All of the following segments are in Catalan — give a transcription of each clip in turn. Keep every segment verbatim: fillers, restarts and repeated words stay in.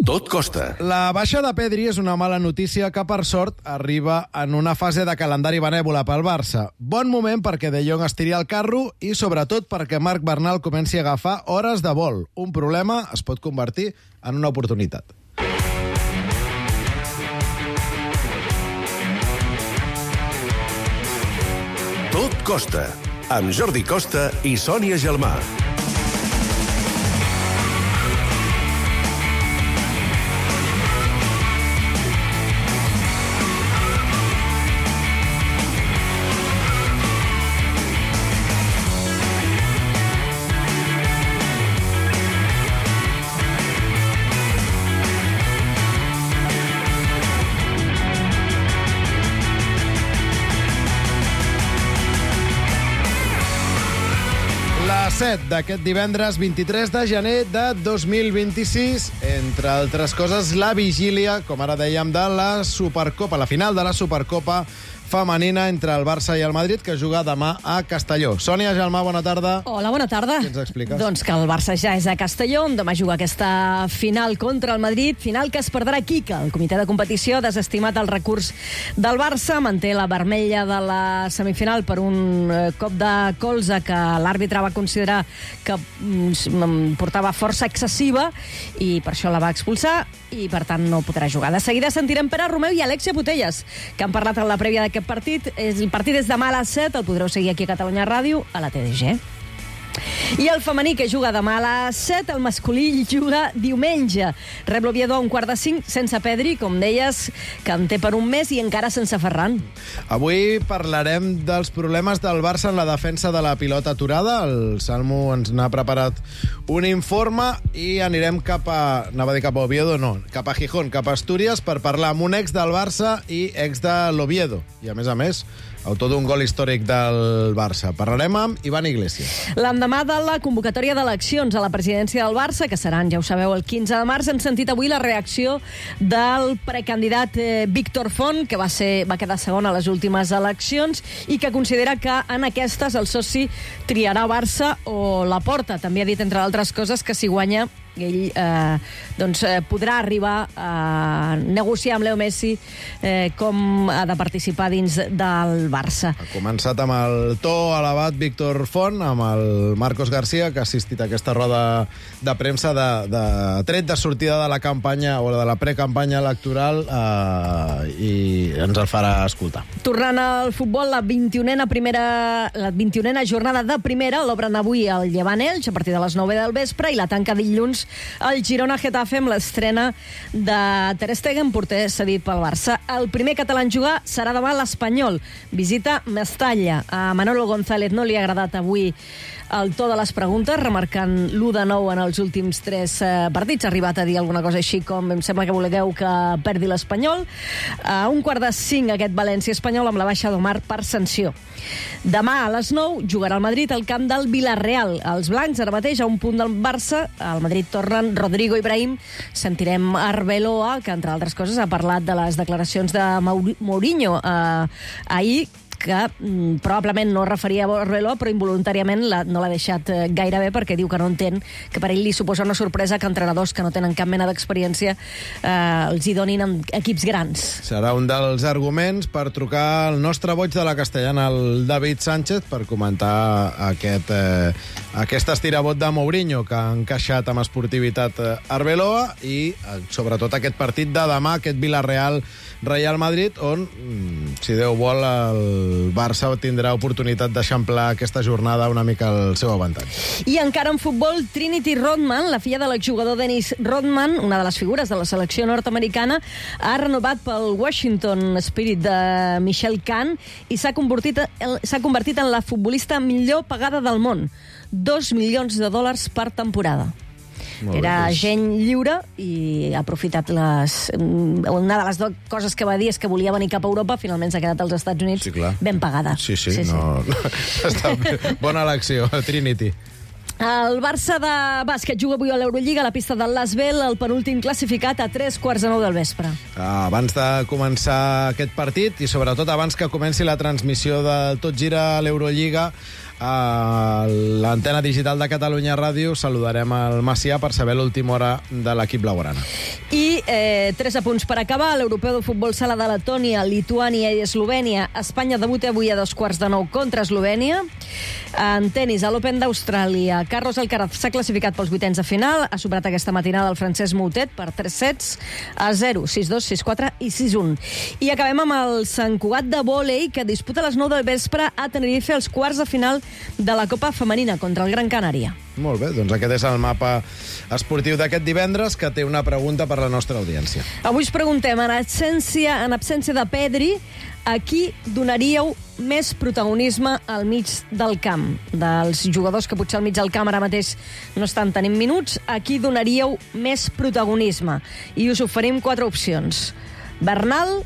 Tot costa. La baixa de Pedri és una mala notícia que, per sort, arriba en una fase de calendari benèvola pel Barça. Bon moment perquè De Jong estiri el carro i, sobretot, perquè Marc Bernal comenci a agafar hores de vol. Un problema es pot convertir en una oportunitat. Tot costa, amb Jordi Costa i Sònia Gelmà. set d'aquest divendres vint-i-tres de gener de dos mil vint-i-sis. Entre altres coses, la vigília, com ara dèiem, de la Supercopa, la final de la Supercopa femenina entre el Barça i el Madrid, que juga demà a Castelló. Sònia Gelmà, bona tarda. Hola, bona tarda. Què ens expliques? Doncs que el Barça ja és a Castelló, on demà juga aquesta final contra el Madrid, final que es perdrà aquí, que el comitè de competició ha desestimat el recurs del Barça, manté la vermella de la semifinal per un cop de colze que l'àrbitre va considerar que portava força excessiva i per això la va expulsar i, per tant, no podrà jugar. De seguida sentirem Pere Romeu i Alexia Putellas, que han parlat en la prèvia d'aquest partit. El partit és demà a les set, el podreu seguir aquí a Catalunya Ràdio, a la T D G. I el femení, que juga demà a les set, el masculí juga diumenge. Rep l'Oviedo a un quart de cinc, sense Pedri, com deies, que en té per un mes, i encara sense Ferran. Avui parlarem dels problemes del Barça en la defensa de la pilota aturada. El Salmo ens n'ha preparat un informe i anirem cap a... anava a dir cap a Oviedo, no, cap a Gijón, cap a Astúries, per parlar amb un ex del Barça i ex de l'Oviedo. I, a més a més, autor d'un gol històric del Barça. Parlarem amb Ivan Iglesias. L'endemà de la convocatòria d'eleccions a la presidència del Barça, que seran, ja ho sabeu, el quinze de març, hem sentit avui la reacció del precandidat eh, Víctor Font, que va, ser, va quedar segon a les últimes eleccions i que considera que en aquestes el soci triarà Barça o Laporta. També ha dit, entre altres coses, que si guanya ell eh, doncs, eh, podrà arribar a negociar amb Leo Messi eh, com ha de participar dins del Barça. Ha començat amb el to elevat Víctor Font, amb el Marcos García, que ha assistit a aquesta roda de premsa de, de tret de sortida de la campanya o de la precampanya electoral, eh, i ens el farà escoltar. Tornant al futbol, la vint-i-unena primera, la vint-i-unena jornada de primera l'obren avui el Llevant Elx a partir de les nou del vespre i la tanca dilluns el Girona-Getafe amb l'estrena de Ter Stegen, porter cedit pel Barça. El primer català en jugar serà demà l'Espanyol. Visita Mestalla. A Manolo González no li ha agradat avui el to de les preguntes, remarcant l'u de nou en els últims tres eh, partits. Ha arribat a dir alguna cosa així com: em sembla que voleu que perdi l'Espanyol. A un quart de cinc aquest València-Espanyol amb la baixa d'Omar per sanció. Demà a les nou jugarà el Madrid al camp del Villarreal. Els blancs ara mateix a un punt del Barça. Al Madrid tornen Rodrigo i Brahim. Sentirem Arbeloa, que entre altres coses ha parlat de les declaracions de Mourinho eh, ahir, que mm, probablement no referia a Arbeloa, però involuntàriament la, no l'ha deixat eh, gaire bé, perquè diu que no entén que per ell li suposa una sorpresa que entrenadors que no tenen cap mena d'experiència eh, els hi donin en equips grans. Serà un dels arguments per trucar al nostre boig de la Castellana, el David Sánchez, per comentar aquest, eh, aquest estirabot de Mourinho, que ha encaixat amb esportivitat eh, Arbeloa, i eh, sobretot aquest partit de demà, aquest Villarreal Real Madrid, on, si Déu vol, el Barça tindrà oportunitat d'eixamplar aquesta jornada una mica al seu avantatge. I encara en futbol, Trinity Rodman, la filla de l'exjugador Dennis Rodman, una de les figures de la selecció nord-americana, ha renovat pel Washington Spirit de Michelle Kahn i s'ha convertit, s'ha convertit en la futbolista millor pagada del món. Dos milions de dòlars per temporada. Era agent lliure i ha aprofitat les... Una de les dues coses que va dir és que volia venir cap a Europa, finalment s'ha quedat als Estats Units, sí, ben pagada. Sí, sí, sí, no, sí. no. Està bé. Bona elecció, Trinity. El Barça de bàsquet juga avui a l'Eurolliga a la pista del Lasvel, el penúltim classificat, a tres quarts de nou del vespre. Abans de començar aquest partit i sobretot abans que comenci la transmissió de Tot Gira a l'Eurolliga, a l'antena digital de Catalunya Ràdio saludarem el Macià per saber l'última hora de l'equip blaugrana. I eh, tres apunts per acabar. L'europeu de futbol sala de Letònia, Lituània i Eslovènia. Espanya debuta avui a dos quarts de nou contra Eslovènia. En tenis, a l'Open d'Austràlia, Carlos Alcaraz s'ha classificat pels vuitens de final. Ha superat aquesta matinada el francès Moutet per tres sets a zero, sis dos, sis quatre i sis un. I acabem amb el Sant Cugat de vòlei, que disputa a les nou del vespre a Tenerife els quarts de final de la Copa Femenina contra el Gran Canària. Molt bé, doncs aquest és el mapa esportiu d'aquest divendres, que té una pregunta per la nostra audiència. Avui us preguntem, en absència, en absència de Pedri, a qui donaríeu més protagonisme al mig del camp? Dels jugadors que potser al mig del camp ara mateix no estan tenint minuts, a qui donaríeu més protagonisme? I us oferim quatre opcions. Bernal,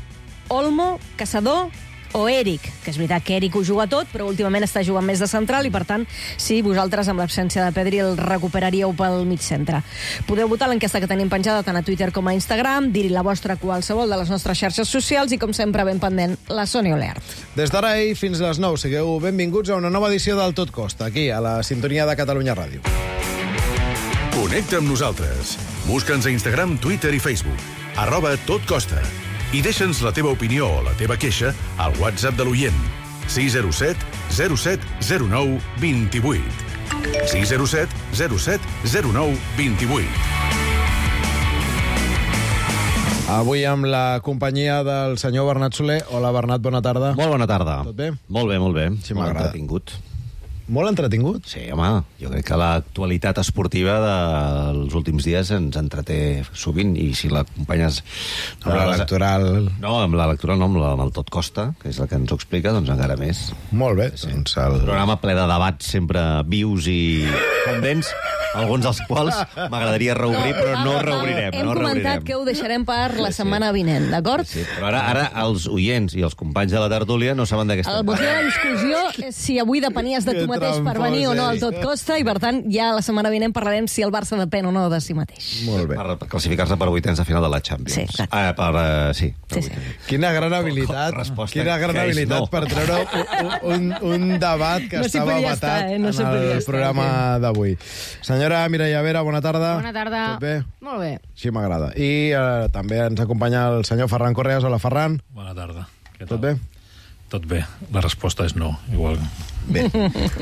Olmo, Caçador o Eric, que és veritat que Eric ho juga tot, però últimament està jugant més de central i, per tant, sí, vosaltres, amb l'absència de Pedri, el recuperaríeu pel mig centre. Podeu votar l'enquesta que tenim penjada tant a Twitter com a Instagram, dir-hi la vostra a qualsevol de les nostres xarxes socials i, com sempre, ben pendent, la Sònia Olert. Des d'ara i fins a les nou, sigueu benvinguts a una nova edició del Tot Costa, aquí, a la sintonia de Catalunya Ràdio. Connecta amb nosaltres. Busca'ns a Instagram, Twitter i Facebook. Arroba Tot Costa. I deixa'ns la teva opinió o la teva queixa al WhatsApp de l'oient. sis zero set zero set zero nou dos vuit. sis zero set zero set zero nou dos vuit. Avui amb la companyia del senyor Bernat Soler. Hola, Bernat, bona tarda. Molt bona tarda. Tot bé? Molt bé, molt bé. Sí, molt m'agrada. entretingut. Molt entretingut? Sí, home, jo crec que l'actualitat esportiva dels últims dies ens entreté sovint, i si l'acompanyes... Amb l'electoral... No, amb l'electoral no, amb, la, amb el Tot Costa, que és el que ens ho explica, doncs encara més. Molt bé, Sí. doncs el... Un programa ple de debats sempre vius i pendents, alguns dels quals m'agradaria reobrir, però no reobrirem. Hem no comentat reobrirem. que ho deixarem per la setmana vinent, d'acord? Sí, però ara, ara els oients i els companys de la tertúlia no saben d'aquesta... El motiu de la discussió és si avui depenies de tu Que mateix per trampós venir o no al ets. Tot Costa, i per tant ja la setmana vinent parlarem si el Barça depèn o no de si mateix. Molt bé. Per classificar-se per vuitens de final de la Champions. Sí, exacte. Ah, per, uh, sí, per Sí, sí. vuitens. Quina gran habilitat, Resposta quina gran que és habilitat no. per treure un, un, un debat que No s'hi estava podia vetat estar, eh? No s'hi en podia el estar, programa d'avui. Senyora Mireia Vera, bona tarda. Bona tarda. Tot bé? Molt bé. Sí, m'agrada. I eh, també ens acompanya el senyor Ferran Correas. Hola, Ferran. Bona tarda. Què Tot tal? bé? Tot bé. La resposta és no, igual. Bé.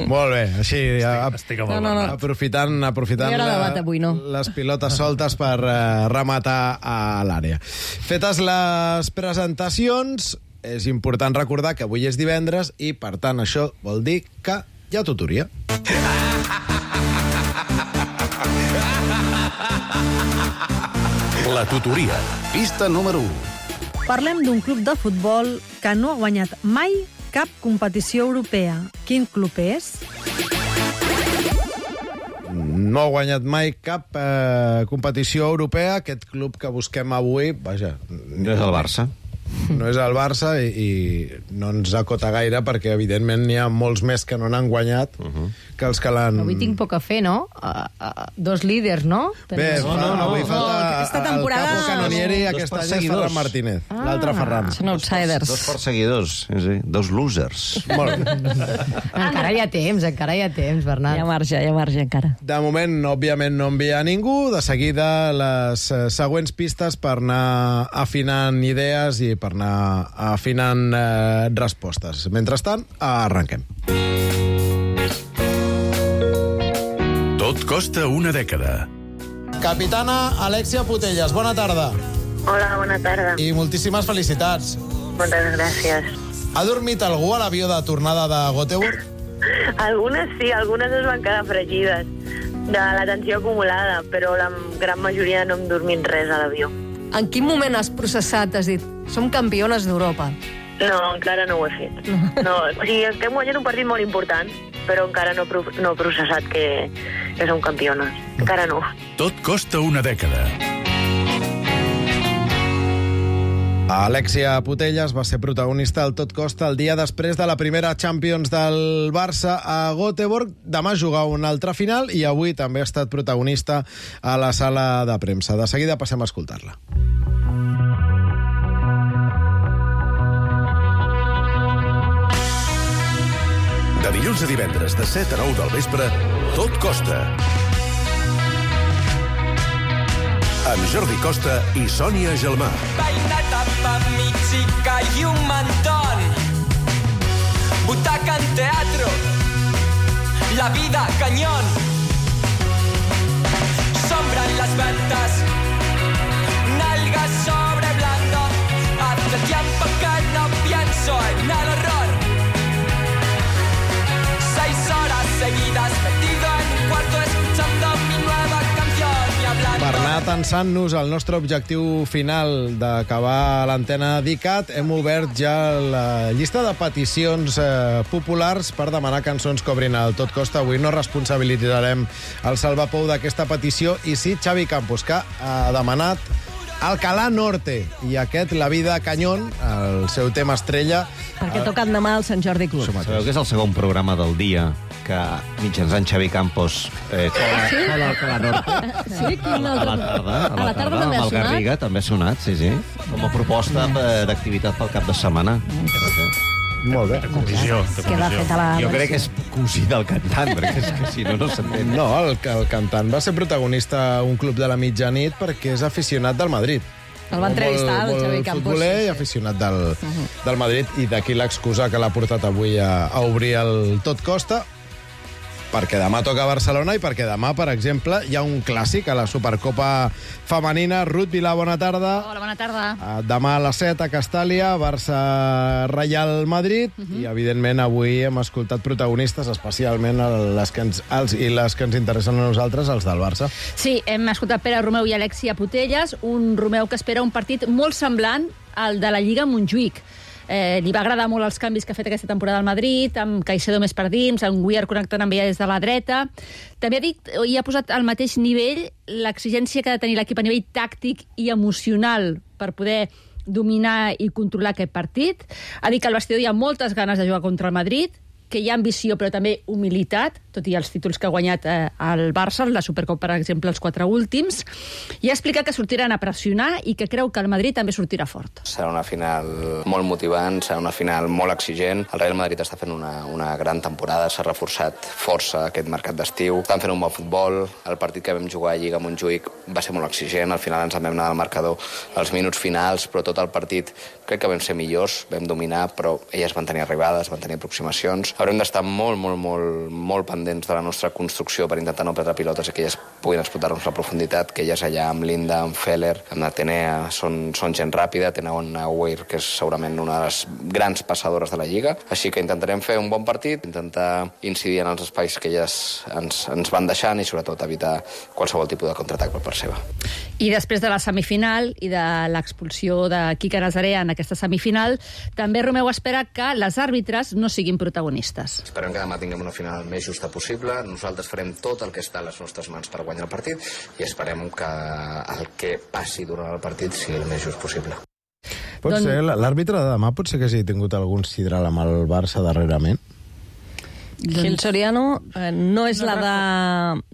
Molt bé. Així, a, Estic amb No, el no, no. Bernat. aprofitant, aprofitant No hi haurà la- debat avui, no? les pilotes soltes per eh, rematar a l'àrea. Fetes les presentacions, és important recordar que avui és divendres i, per tant, això vol dir que hi ha tutoria. La tutoria. Pista número u. Parlem d'un club de futbol que no ha guanyat mai cap competició europea. Quin club és? No ha guanyat mai cap eh, competició europea. Aquest club que busquem avui, vaja, No és el Barça. no és el Barça i, i no ens acota gaire perquè, evidentment, n'hi ha molts més que no n'han guanyat uh -huh. que els que l'han... Avui tinc poc a fer, no? Uh, uh, dos líders, no? Bé, Tenim- no, no, no, avui no, falta aquesta temporada- el capo canonieri, Dos aquest any és perseguidors. Ferran Martínez, ah, l'altre Ferran. Són outsiders. Dos perseguidors, sí, sí. Dos losers. Molt bé. Encara hi ha temps, encara hi ha temps, Bernat. Hi ha marge, hi ha marge encara. De moment, òbviament, no envia ningú. De seguida, les eh, següents pistes per anar afinant idees i per anar afinant eh, respostes. Mentrestant, arrenquem. Tot costa una dècada. Capitana Alexia Putellas, bona tarda. Hola, bona tarda. I moltíssimes felicitats. Moltes gràcies. Ha dormit algú a l'avió de tornada de Göteborg? Algunes sí, algunes es van quedar fregides de la tensió acumulada, però la gran majoria no hem dormit res a l'avió. En quin moment has processat, has dit, som campiones d'Europa? No, encara no ho he fet. No, o sigui, estem guanyant un partit molt important, però encara no, pro no he processat que, que som campiones. Encara no. Tot costa una dècada. Alexia Putellas va ser protagonista al Tot Costa el dia després de la primera Champions del Barça a Göteborg. Demà juga una altra final i avui també ha estat protagonista a la sala de premsa. De seguida passem a escoltar-la. De dilluns a divendres, de set a nou del vespre, Tot costa. amb Jordi Costa i Sònia Gelmà. Peineta pa mi chica y un mantón. Butaca en teatro. La vida cañón. Sombra en las ventas. Nalgas sobre blando. Hace tiempo que no pienso en el horror. Seis horas seguidas metido en un cuarto escuchando mi nueva canción y hablando. Per anar tensant-nos al nostre objectiu final d'acabar l'antena d'ICAT, hem obert ja la llista de peticions eh, populars per demanar cançons que obrin el Tot Costa. Avui no responsabilitzarem el Salvapou d'aquesta petició, i sí Xavi Campos, que ha demanat Alcalá Norte, i aquest La vida cañón, el seu tema estrella. Perquè toquen demà al Sant Jordi Club. Sabeu que és el segon programa del dia que mitjançant Xavi Campos eh, cola, Sí? cola Alcalá Norte? Sí, quin A la altre... tarda, a A la tarda també amb ha el sonat? Garriga també ha sonat, sí, sí. Com a proposta eh, d'activitat pel cap de setmana. Molt bé. Comissió, de Queda comissió. feta la... Jo crec que és cosí del cantant, perquè és que si no, no s'entén. No, el, el cantant va ser protagonista a un club de la mitjanit perquè és aficionat del Madrid. El va entrevistar, el molt, Xavi molt Campos. futboler sí, i sí. aficionat del, del Madrid, i d'aquí l'excusa que l'ha portat avui a, a obrir el Tot Costa, perquè demà toca a Barcelona i perquè demà, per exemple, hi ha un clàssic a la Supercopa Femenina. Ruth Vilà, bona tarda. Hola, bona tarda. Uh, demà a les set a Castàlia, Barça-Reial Madrid, uh -huh. i evidentment avui hem escoltat protagonistes, especialment les que ens, els i les que ens interessen a nosaltres, els del Barça. Sí, hem escoltat Pere Romeu i Alexia Putelles, un Romeu que espera un partit molt semblant al de la Lliga Montjuïc. Eh, li va agradar molt els canvis que ha fet aquesta temporada al Madrid, amb Caicedo més per dins, amb Weir connectant amb ella des de la dreta. També ha dit, i ha posat al mateix nivell l'exigència que ha de tenir l'equip a nivell tàctic i emocional per poder dominar i controlar aquest partit. Ha dit que al vestidor hi ha moltes ganes de jugar contra el Madrid, que hi ha ambició però també humilitat, tot i els títols que ha guanyat eh, el Barça, la Supercopa, per exemple, els quatre últims, i ha explicat que sortiran a pressionar i que creu que el Madrid també sortirà fort. Serà una final molt motivant, serà una final molt exigent. El Real Madrid està fent una, una gran temporada, s'ha reforçat força aquest mercat d'estiu, estan fent un bon futbol, el partit que vam jugar a Lliga Montjuïc va ser molt exigent, al final ens en vam anar al marcador als minuts finals, però tot el partit crec que vam ser millors, vam dominar, però elles van tenir arribades, van tenir aproximacions. Haurem d'estar molt, molt, molt, molt pendents de la nostra construcció per intentar no perdre pilotes i que elles puguin explotar-nos la profunditat, que elles allà amb Linda, amb Feller, amb Atenea, són, són gent ràpida, tenen una Weir que és segurament una de les grans passadores de la Lliga, així que intentarem fer un bon partit, intentar incidir en els espais que elles ens, ens van deixant i sobretot evitar qualsevol tipus de contraatac per part seva. I després de la semifinal i de l'expulsió de Quique Nazaré en aquesta semifinal, també Romeu espera que les àrbitres no siguin protagonistes. Esperem que demà tinguem una final més justa possible. Nosaltres farem tot el que està a les nostres mans per guanyar el partit i esperem que el que passi durant el partit sigui el més just possible. Pot Don... ser, l'àrbitre de demà pot ser que hagi tingut algun sidral amb el Barça darrerament? Gil Soriano eh, no és la de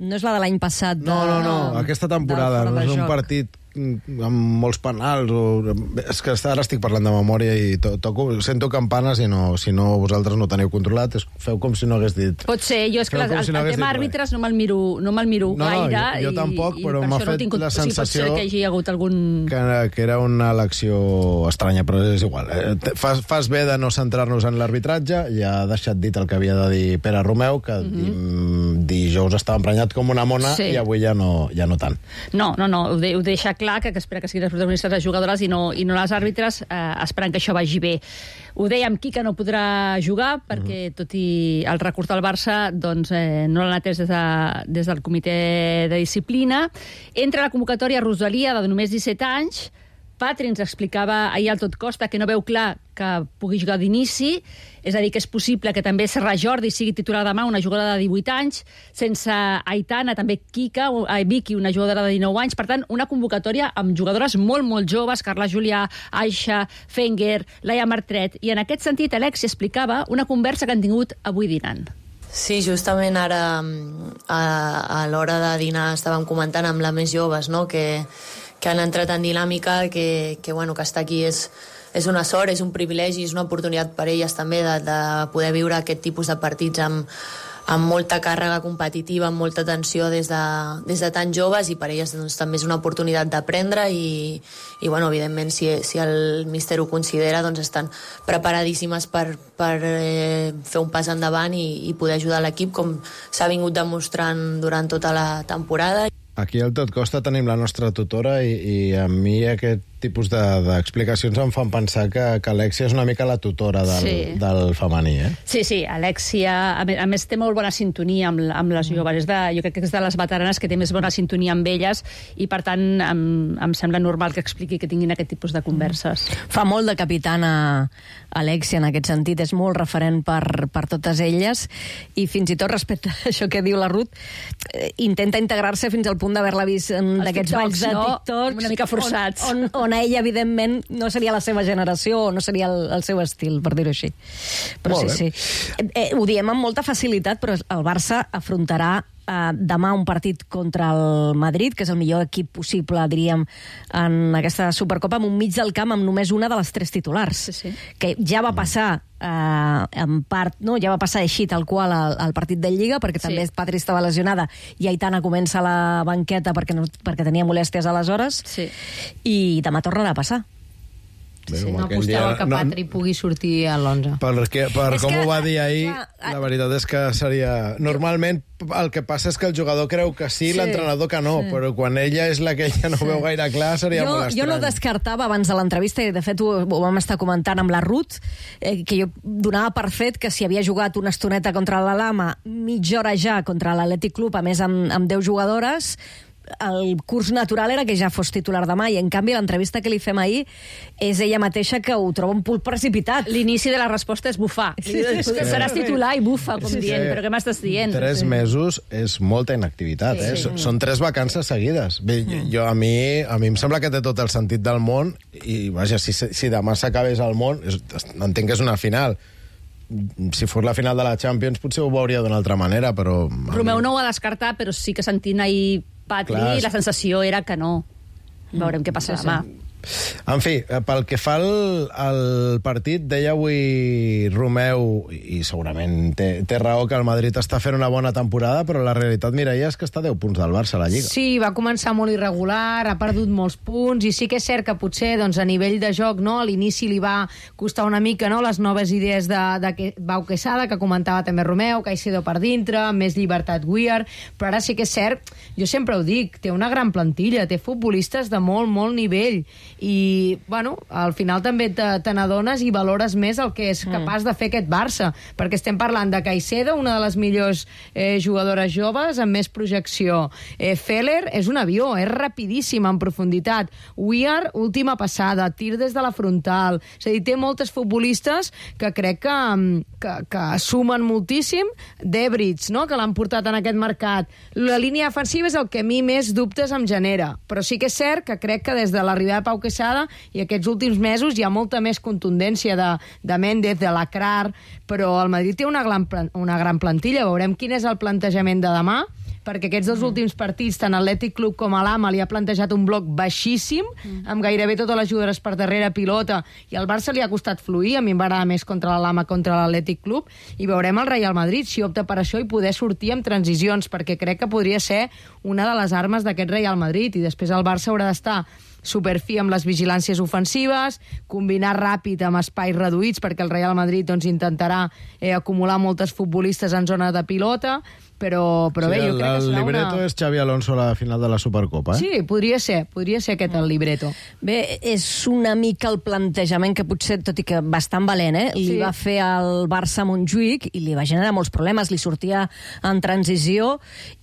no és la de l'any passat. De... No, no, no, aquesta temporada no és un joc. partit amb molts penals o... és que ara estic parlant de memòria i to toco, sento campanes i no, si no vosaltres no teniu controlat, és, feu com si no hagués dit. Pot ser, jo és que Feu les, com el, si no el hagués tema dit àrbitres no me'l miro, no me'l miro No, no, gaire. jo- jo tampoc, i, però i m'ha per això no fet tinc... la o sigui, sensació pot ser que hi hagi hagut algun... Que, que era una elecció estranya, però és igual. Eh, fas, fas bé de no centrar-nos en l'arbitratge, ja ha deixat dit el que havia de dir Pere Romeu, que mm-hmm. dijous estava emprenyat com una mona, Sí. i avui ja no, ja no tant. No, no, no, ho, de, ho deixa clar, que, que espera que siguin els protagonistes les jugadores i no, i no les àrbitres, eh, esperant que això vagi bé. Ho dèiem, Quique no podrà jugar, perquè tot i el recurs del Barça, doncs eh, no l'han atès des, de, des del comitè de disciplina. Entra a la convocatòria Rosalia, de només disset anys. Patri ens explicava ahir al Tot Costa que no veu clar que pugui jugar d'inici, és a dir, que és possible que també Serra Jordi sigui titular demà, una jugadora de divuit anys, sense Aitana, també Kika, eh, Vicky, una jugadora de dinou anys. Per tant, una convocatòria amb jugadores molt, molt joves, Carla Julià, Aixa, Fenger, Laia Martret. I en aquest sentit, Alexia explicava una conversa que han tingut avui dinant. Sí, justament ara a, a l'hora de dinar estàvem comentant amb les més joves, no?, que, que han entrat en dinàmica, que, que, bueno, que estar aquí és, és una sort, és un privilegi, és una oportunitat per elles també de, de poder viure aquest tipus de partits amb, amb molta càrrega competitiva, amb molta tensió des de, des de tan joves, i per elles doncs, també és una oportunitat d'aprendre i, i bueno, evidentment, si, si el míster ho considera, doncs estan preparadíssimes per, per eh, fer un pas endavant i, i poder ajudar l'equip, com s'ha vingut demostrant durant tota la temporada. Aquí al Tot Costa tenim la nostra tutora i, i a mi aquest tipus d'explicacions de, em fan pensar que, que Alexia és una mica la tutora del, Sí. del femení, eh? Sí, sí, Alexia, a més, a més té molt bona sintonia amb, amb les joves. És de, jo crec que és de les veteranes que té més bona sintonia amb elles i, per tant, em, em sembla normal que expliqui que tinguin aquest tipus de converses. Fa molt de capitana Alexia en aquest sentit, és molt referent per, per totes elles i fins i tot respecte a això que diu la Ruth, eh, intenta integrar-se fins al punt d'haver-la vist en Els d'aquests balls de no? TikToks, Una mica forçats. On, on, on a ella, evidentment, no seria la seva generació o no seria el, el seu estil, per dir-ho així. Però Molt sí, bé. sí. Eh, eh, ho diem amb molta facilitat, però el Barça afrontarà eh, demà un partit contra el Madrid, que és el millor equip possible, diríem, en aquesta Supercopa, amb un mig del camp amb només una de les tres titulars. Sí, sí. Que ja va passar eh, en part, no? ja va passar així tal qual al, al partit de Lliga, perquè Sí. també Patri estava lesionada i Aitana comença a la banqueta perquè, no, perquè tenia molèsties aleshores, Sí. i demà tornarà a passar. Bé, Sí, com no aquell apostava dia- que no- Patri pugui sortir a l'onze. Perquè, per És com que, ho va dir ahir, clar, la veritat és que seria... Normalment el que passa és que el jugador creu que sí, Sí. l'entrenador que no, Sí. però quan ella és la que ella no veu gaire clar seria jo, molt estrany. jo no descartava abans de l'entrevista, i de fet ho, ho vam estar comentant amb la Ruth, eh, que jo donava per fet que si havia jugat una estoneta contra la Lama, mitja hora ja contra l'Atlètic Club, a més amb, amb deu jugadores, el curs natural era que ja fos titular demà, i en canvi l'entrevista que li fem ahir és ella mateixa que ho troba un punt precipitat. L'inici de la resposta és bufar. Sí, Sí, sí. Seràs titular i bufa, com Sí, dient. sí. Però què m'estàs dient? Tres mesos és molta inactivitat, Sí, eh? sí. Són- Són tres vacances seguides. Bé, jo, a, mi, a mi em sembla que té tot el sentit del món i, vaja, si, si demà s'acabés el món, és, entenc que és una final. Si fos la final de la Champions potser ho veuria d'una altra manera, però... Romeu no ho ha descartat, però sí que sentint ahir Patri, Clar, la sensació era que no. Veurem què passa Sí, sí. demà. En fi, eh, pel que fa al, al partit, deia avui Romeu, i segurament té, té raó, que el Madrid està fent una bona temporada, però la realitat, Mireia, és que està a deu punts del Barça a la Lliga. Sí, va començar molt irregular, ha perdut molts punts, i sí que és cert que potser doncs, a nivell de joc no, a l'inici li va costar una mica no, les noves idees de, de Pau Quesada, que comentava també Romeu, Caicedo per dintre, amb més llibertat Weir, però ara sí que és cert, jo sempre ho dic, té una gran plantilla, té futbolistes de molt, molt nivell, i, bueno, al final també te, te n'adones i valores més el que és capaç de fer aquest Barça, perquè estem parlant de Caicedo, una de les millors eh, jugadores joves, amb més projecció. Eh, Feller és un avió, és rapidíssim en profunditat. Weir, última passada, tir des de la frontal. És a dir, té moltes futbolistes que crec que, que, que sumen moltíssim. Debritz, no?, que l'han portat en aquest mercat. La línia defensiva és el que a mi més dubtes em genera, però sí que és cert que crec que des de l'arribada de Pau Quesada i aquests últims mesos hi ha molta més contundència de, de Méndez, de Lacrar, però el Madrid té una gran, una gran plantilla. Veurem quin és el plantejament de demà, perquè aquests dos últims partits, tant Atlètic Club com a l'Ama, li ha plantejat un bloc baixíssim, amb gairebé totes les jugadores per darrere pilota, i al Barça li ha costat fluir. A mi em va agradar més contra l'Ama, contra l'Atlètic Club, i veurem el Real Madrid si opta per això i poder sortir amb transicions, perquè crec que podria ser una de les armes d'aquest Real Madrid, i després el Barça haurà d'estar superfi amb les vigilàncies ofensives, combinar ràpid amb espais reduïts, perquè el Real Madrid doncs, intentarà eh, acumular moltes futbolistes en zona de pilota, però, però sí, bé, jo el, crec que el serà libreto una... és Xavi Alonso a la final de la Supercopa, eh? Sí, podria ser, podria ser aquest el libreto. Bé, és una mica el plantejament que potser, tot i que bastant valent, eh, li Sí. va fer al Barça a Montjuïc i li va generar molts problemes. Li sortia en transició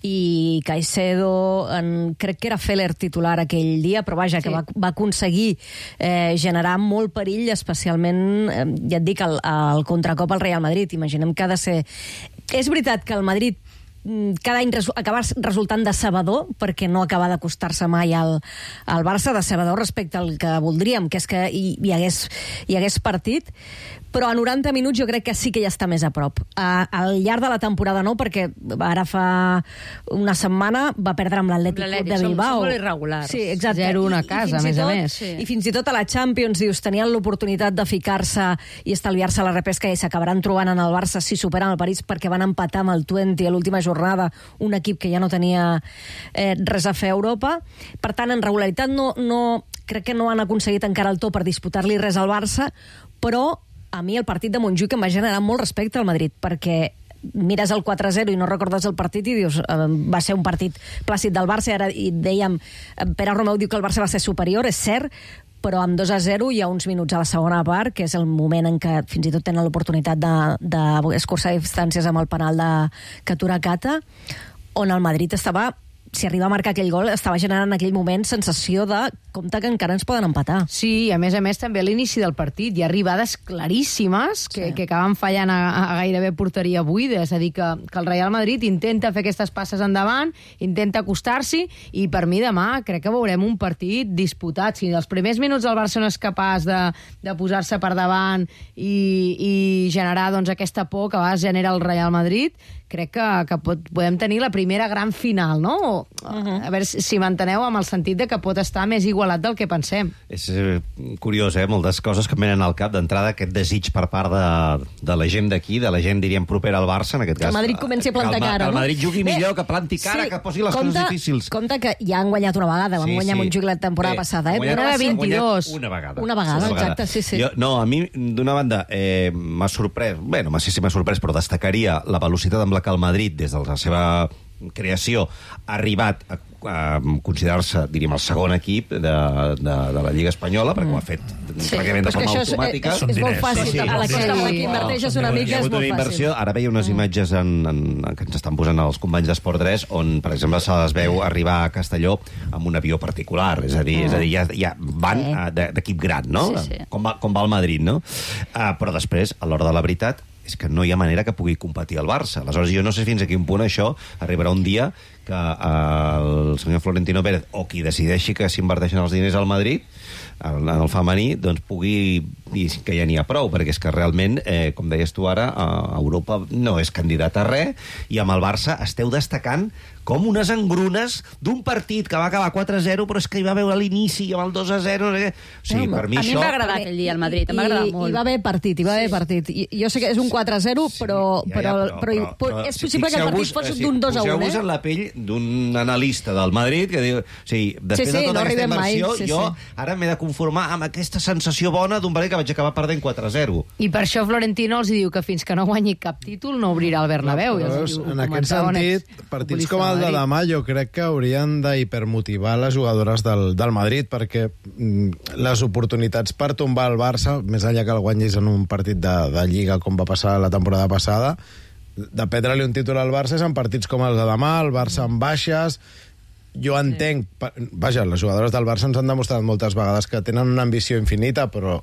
i Caicedo, en, crec que era Feller titular aquell dia, però vaja, que Sí. va, va aconseguir eh, generar molt perill, especialment, eh, ja et dic, el, el contracop al Real Madrid. Imaginem que ha de ser... És veritat que el Madrid cada any resu acabar resultant decebedor, perquè no acaba d'acostar-se mai al, al Barça, decebedor respecte al que voldríem, que és que hi, hi, hagués, hi hagués partit, però a noranta minuts jo crec que sí que ja està més a prop. A, al llarg de la temporada no, perquè ara fa una setmana va perdre amb l'Atlètic de Bilbao. Som molt irregulars. Sí, exacte. zero a casa, a més a més. Sí. I fins i tot a la Champions, dius, tenien l'oportunitat de ficar-se i estalviar-se la repesca i s'acabaran trobant en el Barça si superen el París, perquè van empatar amb el Twente a l'última jornada, un equip que ja no tenia eh, res a fer a Europa. Per tant, en regularitat no, no, crec que no han aconseguit encara el to per disputar-li res al Barça, però a mi el partit de Montjuïc em va generar molt respecte al Madrid, perquè mires el quatre a zero i no recordes el partit i dius, eh, va ser un partit plàcid del Barça, ara i dèiem, Pere Romeu diu que el Barça va ser superior, és cert, però amb dos a zero hi ha uns minuts a la segona part, que és el moment en què fins i tot tenen l'oportunitat d'escurçar distàncies amb el penal de Catura Cata, on el Madrid estava, si arriba a marcar aquell gol, estava generant en aquell moment sensació de compte que encara ens poden empatar. Sí, a més a més també a l'inici del partit hi ha arribades claríssimes que, sí. que acaben fallant a, a gairebé porteria buida, és a dir, que, que el Real Madrid intenta fer aquestes passes endavant, intenta acostar-s'hi, i per mi demà crec que veurem un partit disputat. Si els primers minuts el Barça no és capaç de, de posar-se per davant i, i generar doncs, aquesta por que a vegades genera el Real Madrid, crec que, que pot, podem tenir la primera gran final, no? Uh-huh. A veure si m'enteneu amb el sentit de que pot estar més igualat del que pensem. És eh, curiós, eh? Moltes coses que em venen al cap. D'entrada, aquest desig per part de, de la gent d'aquí, de la gent, diríem, propera al Barça, en aquest cas. Que el Madrid comenci a plantar que el, cara, que el no? Madrid jugui Bé, millor, que planti cara, sí, que posi les compte, coses difícils. Compte que ja han guanyat una vegada, van sí, guanyar sí. Montjuïc la temporada Bé, passada, eh? Una de vint-i-dos. Una vegada. Una vegada, una exacte, sí, sí. Jo, no, a mi, d'una banda, eh, m'ha sorprès, bé, no sé si m'ha sorprès, però destacaria la velocitat amb la que el Madrid, des de la seva creació, ha arribat a, a considerar-se, diríem, el segon equip de, de, de la Lliga Espanyola, perquè ho ha fet sí, pràcticament de forma automàtica. És, és, és molt fàcil, sí, sí, a la que, sí, que inverteixes una mica és molt fàcil. Ara veia unes imatges en, en, en, que ens estan posant els companys d'Esport tres, on, per exemple, se les veu arribar a Castelló amb un avió particular, és a dir, és a dir ja, ja van sí. d'equip gran, no? Sí, sí. Com, va, com va el Madrid, no? Uh, però després, a l'hora de la veritat, és que no hi ha manera que pugui competir el Barça. Aleshores, jo no sé fins a quin punt això arribarà un dia que el senyor Florentino Pérez, o qui decideixi que s'inverteixen els diners al Madrid, en el femení, doncs pugui dir que ja n'hi ha prou, perquè és que realment, eh, com deies tu ara, a Europa no és candidat a res, i amb el Barça esteu destacant com unes engrunes d'un partit que va acabar quatre a zero, però és que hi va haver a l'inici i amb el dos a zero... No sé què. O sigui, no, per mi a això... mi em va agradar aquell dia al Madrid, em va agradar molt. Hi va haver partit, hi va haver sí. partit. I, jo sé que és un quatre a zero, però, sí, ja, ja, però, però, però, però, però, però és si possible que el partit fos d'un dos a un, eh? Poseu-vos en la pell d'un analista del Madrid que diu... O sigui, després sí, sí, de tota no aquesta inversió, mai, sí, jo sí. ara m'he de conformar amb aquesta sensació bona d'un partit que vaig acabar perdent quatre a zero. I per això Florentino els diu que fins que no guanyi cap títol no obrirà el Bernabéu. Però, diu, en aquest sentit, partits com el de demà jo crec que haurien d'hipermotivar les jugadores del, del Madrid, perquè mm, les oportunitats per tombar el Barça, més enllà que el guanyis en un partit de, de Lliga com va passar la temporada passada, de prendre-li un títol al Barça és en partits com el de demà, el Barça amb baixes. Jo entenc... Vaja, les jugadores del Barça ens han demostrat moltes vegades que tenen una ambició infinita, però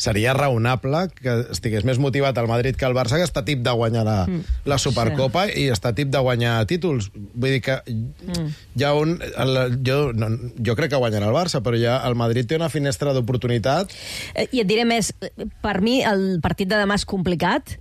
seria raonable que estigués més motivat el Madrid que el Barça, que està tip de guanyar la, mm. la Supercopa sí. i està tip de guanyar títols. Vull dir que mm. hi ha un... El, jo, no, jo crec que guanyarà el Barça, però ja el Madrid té una finestra d'oportunitat. I et diré més, per mi el partit de demà és complicat,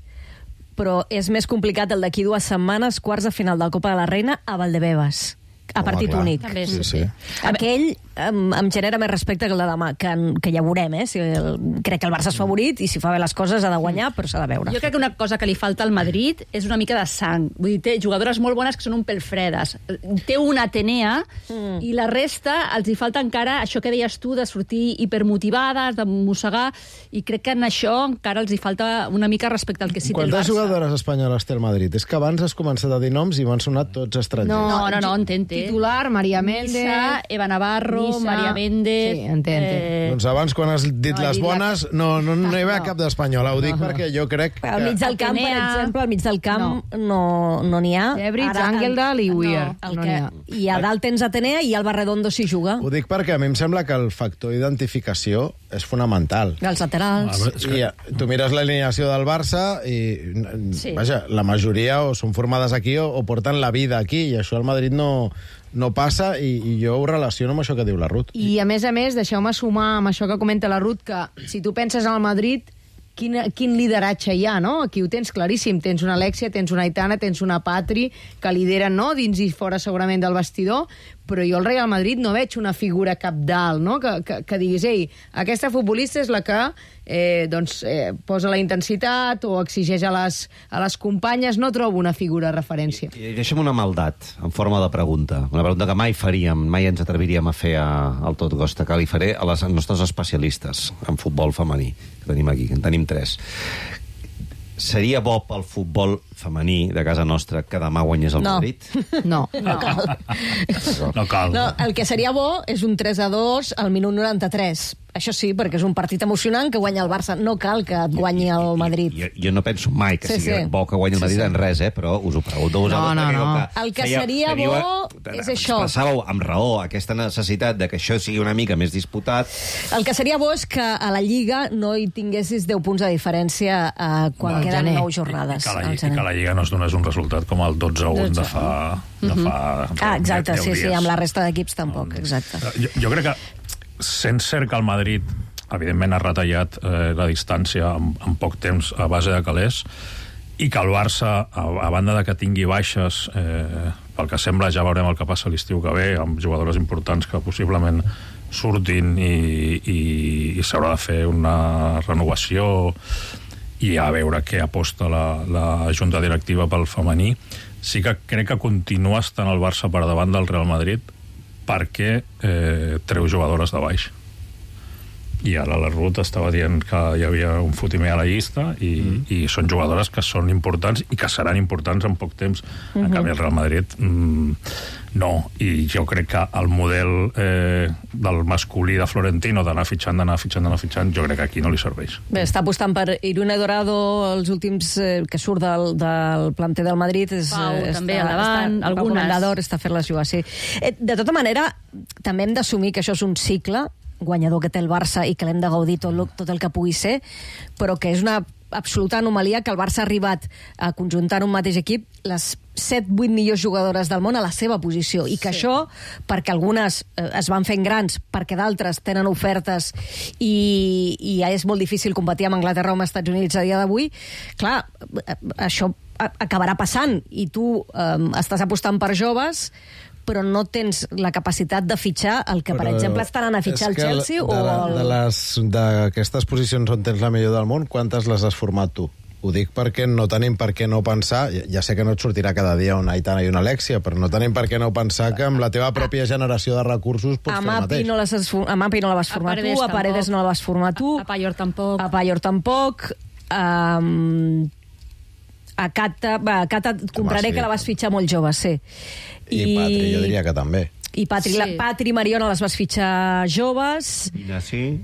però és més complicat el d'aquí dues setmanes, quarts de final de la Copa de la Reina a Valdebebas, a Home, partit clar. únic. Sí, sí. Aquell em, em genera més respecte que el de demà, que, que ja veurem, eh? Si el, crec que el Barça és favorit i si fa bé les coses ha de guanyar, però s'ha de veure. Jo crec que una cosa que li falta al Madrid és una mica de sang. Vull dir, té jugadores molt bones que són un pèl fredes. Té una Atenea mm. i la resta els hi falta encara això que deies tu de sortir hipermotivades, de mossegar, i crec que en això encara els hi falta una mica respecte al que sí té el Quantes Barça. jugadores espanyoles té el Madrid? És que abans has començat a dir noms i m'han sonat tots estrangers. No, no, no, en té, en té. titular, Maria Méndez... Nissa, Eva Navarro, Nissa. Maria Méndez... Sí, entenc. Eh... Doncs abans, quan has dit No, he les dit bones, no, no, no hi va No. cap d'espanyola. Ho dic No. perquè jo crec que... Al mig del camp, per Atenea. exemple, al mig del camp no no n'hi ha. Debritz, Ara, Angeldal i Weir. El No que, n'hi ha. I a dalt tens Atenea i Alba Redondo s'hi juga. Ho dic perquè a mi em sembla que el factor d'identificació és fonamental. Els laterals. Ah, és que- I eh, tu mires l'alineació del Barça i, Sí. vaja, la majoria o són formades aquí o, o porten la vida aquí, i això al Madrid no, no passa, i, i jo ho relaciono amb això que diu la Ruth. I, a més a més, deixeu-me sumar amb això que comenta la Ruth, que si tu penses al Madrid, quin, quin lideratge hi ha, no? Aquí ho tens claríssim. Tens una Alexia, tens una Aitana, tens una Patri, que lideren, no?, dins i fora segurament del vestidor, però jo al Real Madrid no veig una figura capdalt, no?, que, que, que diguis, ei, aquesta futbolista és la que eh, doncs, eh, posa la intensitat o exigeix a les, a les companyes. No trobo una figura de referència. I deixa'm una maldat, en forma de pregunta. Una pregunta que mai faríem, mai ens atreviríem a fer a, al Tot Costa, que li faré a les nostres especialistes en futbol femení, que tenim aquí, que en tenim tres. Seria bo pel futbol femení de casa nostra que demà guanyés el No. Madrid? No. No cal. No cal. No, el que seria bo és un tres a dos al minut noranta-tres. Això sí, perquè és un partit emocionant que guanya el Barça. No cal que et guanyi el Madrid. Jo, jo no penso mai que Sí, sigui sí. bo que guanyi el Madrid Sí, sí. en res, eh? Però us ho pregunto a vosaltres. No, no, perquè no. com El que feia- seria teniu- bo és això. Expressàveu amb raó aquesta necessitat de que això sigui una mica més disputat. El que seria bo és que a la Lliga no hi tinguessis deu punts de diferència eh, quan Al queden gener. nou I jornades. que, la, al I gener. que la Lliga no es donés un resultat com el dotze a un de fa... De fa Ah, exacte, deu sí, sí, dies. amb la resta d'equips tampoc, exacte. Jo, jo crec que, sent cert que el Madrid, evidentment, ha retallat eh, la distància en, en poc temps a base de calés, i que el Barça, a, a banda de que tingui baixes, eh, pel que sembla ja veurem el que passa l'estiu que ve, amb jugadores importants que possiblement surtin i, i, i s'haurà de fer una renovació i a veure què aposta la, la junta directiva pel femení. Sí que crec que continua estant el Barça per davant del Real Madrid perquè eh, treu jugadores de baix. I ara la Ruth estava dient que hi havia un fotimer a la llista i, mm. i són jugadores que són importants i que seran importants en poc temps. En Mhm. canvi, el Real Madrid mm, no. I jo crec que el model eh, del masculí de Florentino d'anar fitxant, d'anar fitxant, d'anar fitxant, jo crec que aquí no li serveix. Bé, està apostant per Irune Dorado, els últims eh, que surt del, del planter del Madrid. És, Pau, eh, també, està, endavant, està, algunes. Pau Comendador està fent-les jugar, sí. Eh, de tota manera, també hem d'assumir que això és un cicle guanyador que té el Barça i que l'hem de gaudir tot, lo, tot el que pugui ser, però que és una absoluta anomalia que el Barça ha arribat a conjuntar en un mateix equip les set vuit millors jugadores del món a la seva posició, i que Sí. això, perquè algunes eh, es van fent grans, perquè d'altres tenen ofertes i, i ja és molt difícil competir amb Anglaterra o amb Estats Units a dia d'avui, clar, eh, això a- acabarà passant, i tu eh, estàs apostant per joves, però no tens la capacitat de fitxar el que, per Però exemple, estan anant a fitxar el és que Chelsea de, o el... de les- d'aquestes posicions on tens la millor del món, quantes les has format tu? Ho dic perquè no tenim per què no pensar, ja, ja sé que no et sortirà cada dia una Aitana i una Alexia, però no tenim per què no pensar que amb la teva pròpia generació de recursos pots A fer el Mapi mateix. no, les has, for- a Mapi no la vas A formar Paredes tu, a Paredes tampoc. no la vas formar tu, A Payor tampoc. a Payor tampoc, um, a Cata, va, a Cata et compraré sí. que la vas fitxar molt jove, sí. I Patri, jo diria que també. I Patri, Sí. la, Patri i Mariona les vas fitxar joves. Pina, sí.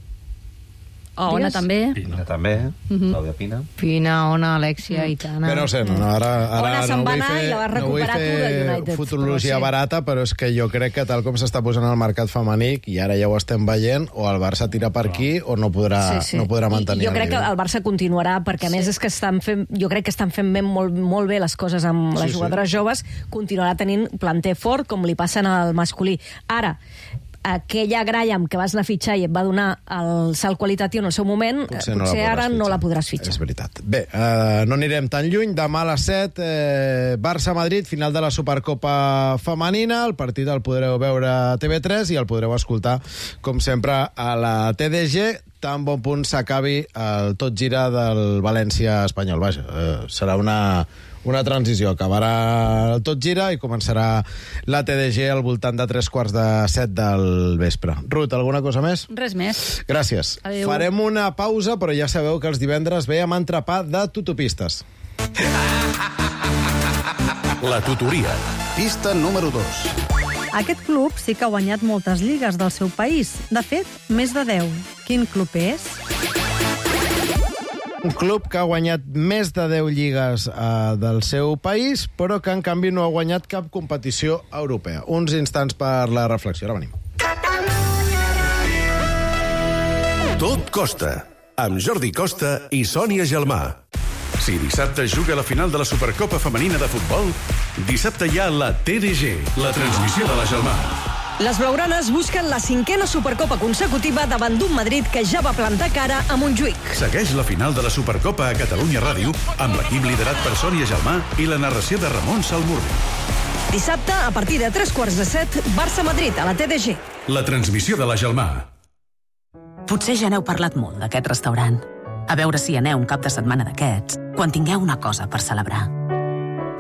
O Ona Digues? també. Pina també. Clàudia Pina. Pina, Ona, Alexia, Aitana... Bé, no sé, no, no, ara, ara Ona se'n no va vull anar fer, i la vas no vull recuperar tu de fer United, futurologia però sí. barata, però és que jo crec que tal com s'està posant al mercat femení, i ara ja ho estem veient, o el Barça tira per aquí o no podrà, no podrà mantenir I jo crec que nivell. el Barça continuarà, perquè a més és que estan fent, jo crec que estan fent ben, molt, molt bé les coses amb les Sí, sí. jugadores joves, continuarà tenint planter fort, com li passen al masculí. Ara, aquella Graham que vas anar a fitxar i et va donar el salt qualitatiu en el seu moment, potser, no la potser podràs ara no fitxar. la podràs fitxar. És veritat. Bé, eh, no anirem tan lluny. Demà a les set, eh, Barça-Madrid, final de la Supercopa femenina. El partit el podreu veure a T V tres i el podreu escoltar, com sempre, a la T D G, tan bon punt s'acabi el tot gira del València espanyol. Vaja, eh, serà una... una transició. Acabarà el tot gira i començarà la T D G al voltant de tres quarts de set del vespre. Ruth, alguna cosa més? Res més. Gràcies. Adéu. Farem una pausa, però ja sabeu que els divendres ve amb entrepà de tutopistes. La tutoria. Pista número dos. Aquest club sí que ha guanyat moltes lligues del seu país. De fet, més de deu. Quin club és? Un club que ha guanyat més de deu lligues eh, del seu país, però que en canvi no ha guanyat cap competició europea. Uns instants per la reflexió. Ara venim. Tot costa, amb Jordi Costa i Sònia Gelmà. Si dissabte juga la final de la Supercopa Femenina de Futbol, dissabte hi ha la T D G, la transmissió de la Gelmà. Les blaugranes busquen la cinquena Supercopa consecutiva davant d'un Madrid que ja va plantar cara a Montjuïc. Segueix la final de la Supercopa a Catalunya Ràdio amb l'equip liderat per Sònia Gelmà i la narració de Ramon Salmurri. Dissabte, a partir de tres quarts de set, Barça-Madrid a la T D G. La transmissió de la Gelmà. Potser ja n'heu parlat molt d'aquest restaurant. A veure si aneu un cap de setmana d'aquests, quan tingueu una cosa per celebrar.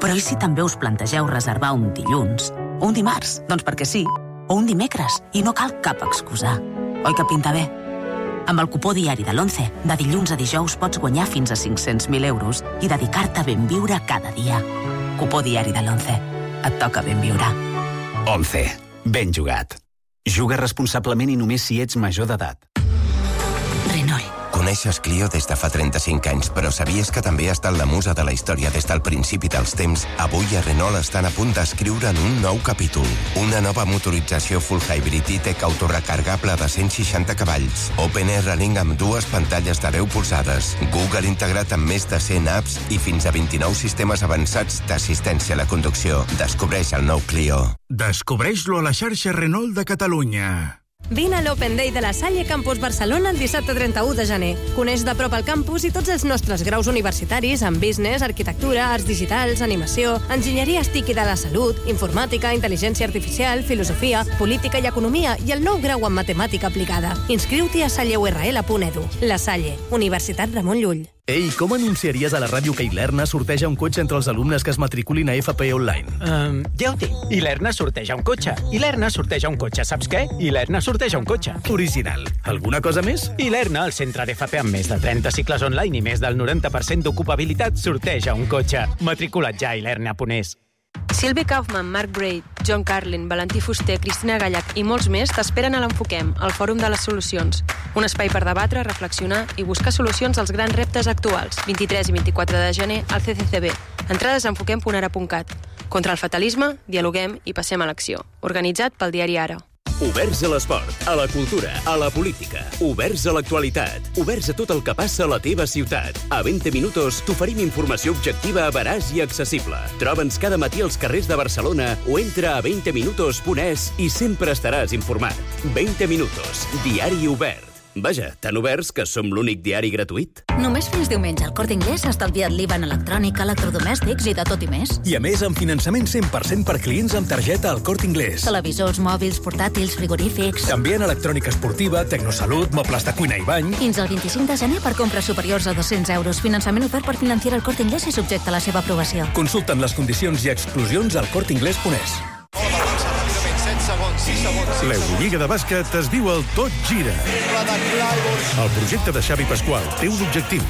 Però i si també us plantegeu reservar un dilluns? O un dimarts? Doncs perquè sí. O un dimecres, i no cal cap excusa. Oi que pinta bé? Amb el cupó diari de l'Once, de dilluns a dijous pots guanyar fins a cinc-cents mil euros i dedicar-te a ben viure cada dia. Cupó diari de l'Once. Et toca ben viure. Once. Ben jugat. Juga responsablement i només si ets major d'edat. Renault. Coneixes Clio des de fa trenta-cinc anys, però sabies que també ha estat la musa de la història des del principi dels temps? Avui a Renault estan a punt d'escriure'n un nou capítol. Una nova motorització full hybrid i-tech autorecargable de cent seixanta cavalls. Open Air Running amb dues pantalles de deu polzades. Google integrat amb més de cent apps i fins a vint-i-nou sistemes avançats d'assistència a la conducció. Descobreix el nou Clio. Descobreix-lo a la xarxa Renault de Catalunya. Vine a l'Open Day de la Salle Campus Barcelona el dissabte trenta-u de gener. Coneix de prop el campus i tots els nostres graus universitaris en business, arquitectura, arts digitals, animació, enginyeria S T I C i de la salut, informàtica, intel·ligència artificial, filosofia, política i economia i el nou grau en matemàtica aplicada. Inscriu-t'hi a salle u erre ele punt edu. La Salle, Universitat Ramon Llull. Ei, com anunciaries a la ràdio que Ilerna sorteja un cotxe entre els alumnes que es matriculin a F P Online? Um, ja ho tinc. Ilerna sorteja un cotxe. Ilerna sorteja un cotxe. Saps què? Ilerna sorteja un cotxe. Original. Alguna cosa més? Ilerna, el centre d'F P amb més de trenta cicles online i més del noranta per cent d'ocupabilitat, sorteja un cotxe. Matricula't ja a ilerna punt es. Sylvie Kaufman, Mark Braid, John Carlin, Valentí Fuster, Cristina Gallac i molts més t'esperen a l'Enfoquem, el Fòrum de les Solucions. Un espai per debatre, reflexionar i buscar solucions als grans reptes actuals. vint-i-tres i vint-i-quatre de gener al C C C B. Entrades a enfoquem punt ara punt cat. Contra el fatalisme, dialoguem i passem a l'acció. Organitzat pel diari Ara. Oberts a l'esport, a la cultura, a la política. Oberts a l'actualitat. Oberts a tot el que passa a la teva ciutat. A vint minutos t'oferim informació objectiva, veraç i accessible. Troba'ns cada matí als carrers de Barcelona o entra a vint minutos punt es i sempre estaràs informat. vint minutos, diari obert. Vaja, tan oberts que som l'únic diari gratuït. Només fins diumenge al Corte Inglés ha estalviat l'I V A en electrònica, electrodomèstics i de tot i més. I a més, amb finançament cent per cent per clients amb targeta al Corte Inglés. Televisors, mòbils, portàtils, frigorífics... També en electrònica esportiva, tecnosalut, mobles de cuina i bany... Fins al vint-i-cinc de gener per compres superiors a dos-cents euros. Finançament ofert per financiar el Corte Inglés i subjecte a la seva aprovació. Consulta'n les condicions i exclusions al corte inglés punt es. L'Eurolliga de bàsquet es diu el Tot Gira. El projecte de Xavi Pasqual té un objectiu: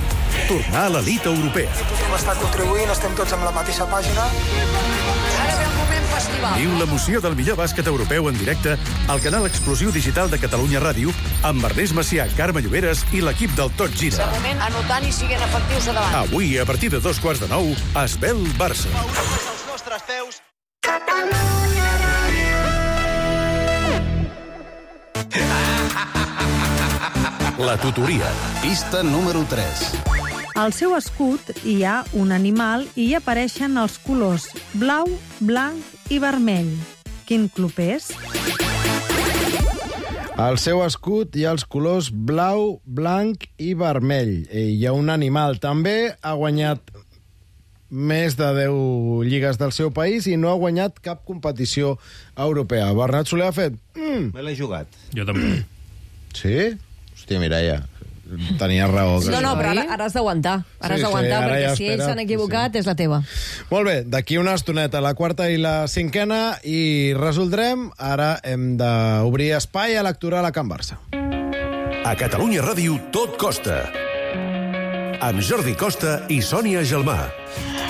tornar a l'elit europea. Hem estat contribuint, estem tots amb la mateixa pàgina. Ara ve el moment festival. Viu l'emoció del millor bàsquet europeu en directe al canal exclusiu digital de Catalunya Ràdio amb Ernest Macià, Carme Lloberes i l'equip del Tot Gira. De moment, anotant i siguent efectius a davant. Avui, a partir de dos quarts de nou, Esbel Barça. Els nostres peus. La tutoria. Pista número tres. Al seu escut hi ha un animal i hi apareixen els colors blau, blanc i vermell. Quin club és? Al seu escut hi ha els colors blau, blanc i vermell. Hi ha un animal. També ha guanyat més de deu lligues del seu país i no ha guanyat cap competició europea. Bernat Soler ha fet... Mm. Me l'he jugat. Jo també. Sí? Hòstia, Mireia, tenia raó. Que no, no, però ara, ara has d'aguantar. Ara Sí, has d'aguantar, sí, perquè ja si espera, ells s'han equivocat, sí. és la teva. Molt bé, d'aquí una estoneta, la quarta i la cinquena, i resoldrem. Ara hem d'obrir espai electoral a Can Barça. A Catalunya Ràdio tot costa. Amb Jordi Costa i Sònia Gelmà.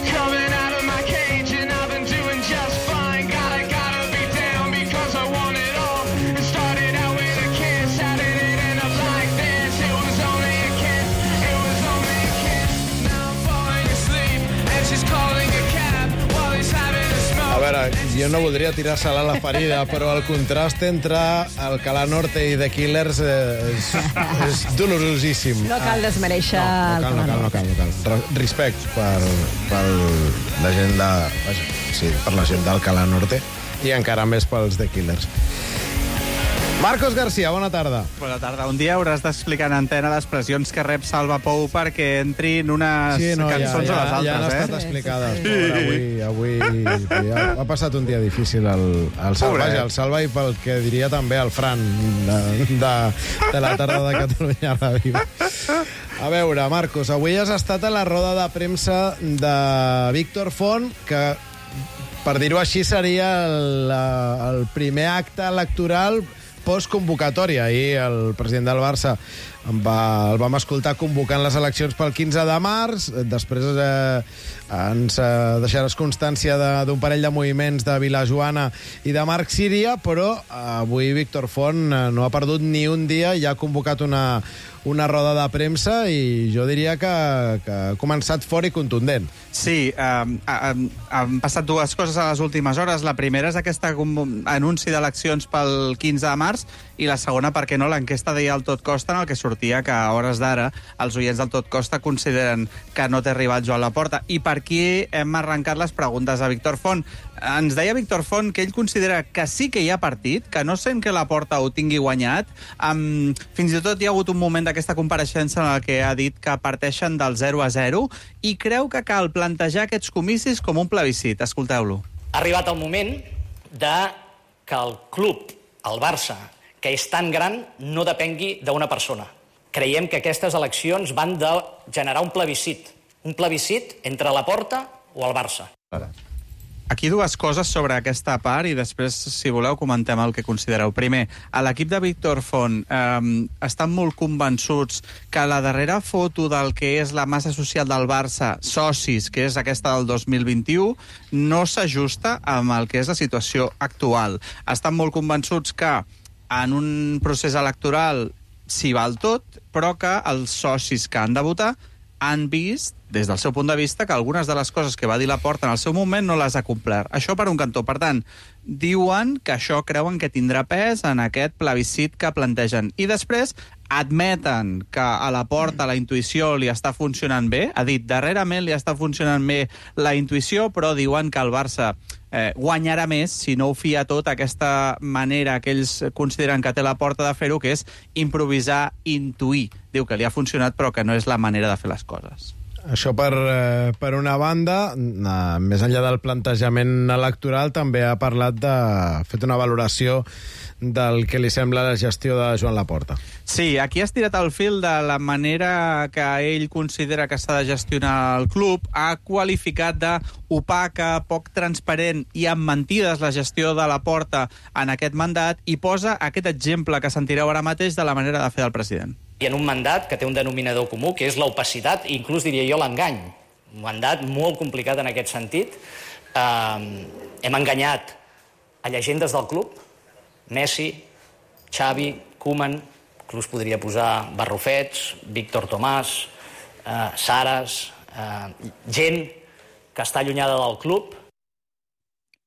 Coming out of my cage and I've been doing just fine. Gotta, gotta be down because jo no voldria tirar-se a la ferida, però el contrast entre Alcalá Norte i The Killers eh, és, és dolorosíssim. No cal desmereixer... No, no cal, no cal, no cal. No cal. Respect per, per la gent de... Sí, per la gent d'Alcalá Norte i encara més pels The Killers. Marcos García, bona tarda. Bona tarda. Un dia hauràs d'explicar en antena les pressions que rep Salva Pou perquè entrin unes sí, no, cançons ja, ja, a les altres, ja han estat eh? explicades. Sí. Avui, avui ja ha passat un dia difícil el, el Salva, ja, el Salva i pel que diria també el Fran de, de, de la tarda de Catalunya Ràdio. A veure, Marcos, avui has estat a la roda de premsa de Víctor Font, que, per dir-ho així, seria el, el primer acte electoral postconvocatòria. Ahir el president del Barça va, el vam escoltar convocant les eleccions pel quinze de març, després eh, ens eh, deixaràs constància d'un parell de moviments de Vilajoana i de Marc Síria, però avui Víctor Font eh, no ha perdut ni un dia i ha convocat una, una roda de premsa i jo diria que, que ha començat fort i contundent. Sí, um, um, han passat dues coses a les últimes hores. La primera és aquest anunci d'eleccions pel quinze de març i la segona, perquè no, l'enquesta deia el Tot Costa en el que sortia que a hores d'ara els oients del Tot Costa consideren que no té arribat Joan Laporta. I per aquí hem arrencat les preguntes a Víctor Font. Ens deia Víctor Font que ell considera que sí que hi ha partit, que no sent que Laporta ho tingui guanyat. Um, fins i tot hi ha hagut un moment d'aquesta compareixença en el que ha dit que parteixen del zero a zero i creu que cal plantejar aquests comicis com un plebiscit. Escolteu-lo. Ha arribat el moment de que el club, el Barça, que és tan gran, no depengui d'una persona. Creiem que aquestes eleccions van de generar un plebiscit. Un plebiscit entre Laporta o el Barça. Aquí dues coses sobre aquesta part i després, si voleu, comentem el que considereu. Primer, a l'equip de Víctor Font eh, estan molt convençuts que la darrera foto del que és la massa social del Barça, socis, que és aquesta del dos mil vint-i-u, no s'ajusta amb el que és la situació actual. Estan molt convençuts que en un procés electoral s'hi val tot, però que els socis que han de votar han vist, des del seu punt de vista, que algunes de les coses que va dir Laporta en el seu moment no les ha complert. Això per un cantó. Per tant, diuen que això creuen que tindrà pes en aquest plebiscit que plantegen. I després admeten que a Laporta la intuïció li està funcionant bé. Ha dit, darrerament li està funcionant bé la intuïció, però diuen que el Barça eh, guanyarà més si no ho fia tot aquesta manera que ells consideren que té Laporta de fer-ho, que és improvisar, intuir. Diu que li ha funcionat, però que no és la manera de fer les coses. Això per, eh, per una banda, eh, més enllà del plantejament electoral, també ha parlat de... ha fet una valoració del que li sembla la gestió de Joan Laporta. Sí, aquí has tirat el fil de la manera que ell considera que s'ha de gestionar el club. Ha qualificat d'opaca, poc transparent i amb mentides la gestió de Laporta en aquest mandat i posa aquest exemple que sentireu ara mateix de la manera de fer del president. I en un mandat que té un denominador comú, que és l'opacitat, i inclús diria jo l'engany. Un mandat molt complicat en aquest sentit. Eh, hem enganyat a llegendes del club, Messi, Xavi, Koeman, inclús podria posar Barrufets, Víctor Tomàs, eh, Saras, eh, gent que està allunyada del club.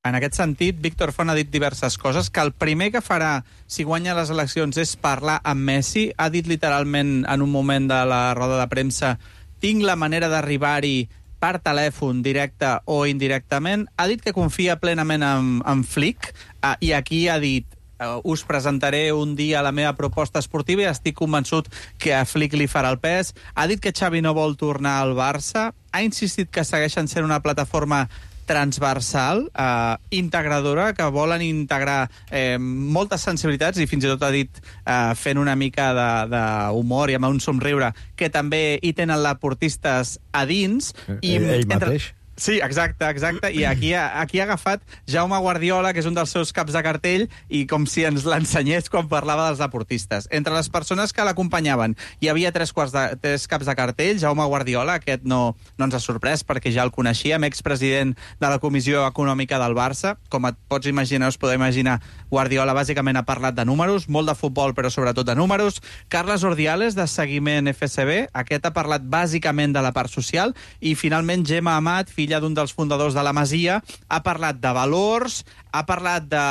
En aquest sentit, Víctor Font ha dit diverses coses, que el primer que farà si guanya les eleccions és parlar amb Messi. Ha dit literalment en un moment de la roda de premsa: tinc la manera d'arribar-hi per telèfon, directe o indirectament. Ha dit que confia plenament en, en Flick uh, i aquí ha dit: uh, us presentaré un dia la meva proposta esportiva i estic convençut que a Flick li farà el pes. Ha dit que Xavi no vol tornar al Barça. Ha insistit que segueixen sent una plataforma transversal, eh, integradora, que volen integrar eh, moltes sensibilitats i fins i tot ha dit, eh, fent una mica d'humor i amb un somriure, que també hi tenen laportistes a dins. I ell ell entre... mateix? Sí, exacte, exacte. I aquí ha, aquí ha agafat Jaume Guardiola, que és un dels seus caps de cartell, i com si ens l'ensenyés quan parlava dels deportistes. Entre les persones que l'acompanyaven hi havia tres, quarts de, tres caps de cartell. Jaume Guardiola, aquest no, no ens ha sorprès perquè ja el coneixíem, expresident de la Comissió Econòmica del Barça. Com et pots imaginar, us podeu imaginar, Guardiola bàsicament ha parlat de números, molt de futbol, però sobretot de números. Carles Ordiales, de Seguiment F S B, aquest ha parlat bàsicament de la part social. I finalment Gemma Amat, filla filla d'un dels fundadors de la Masia, ha parlat de valors, ha parlat de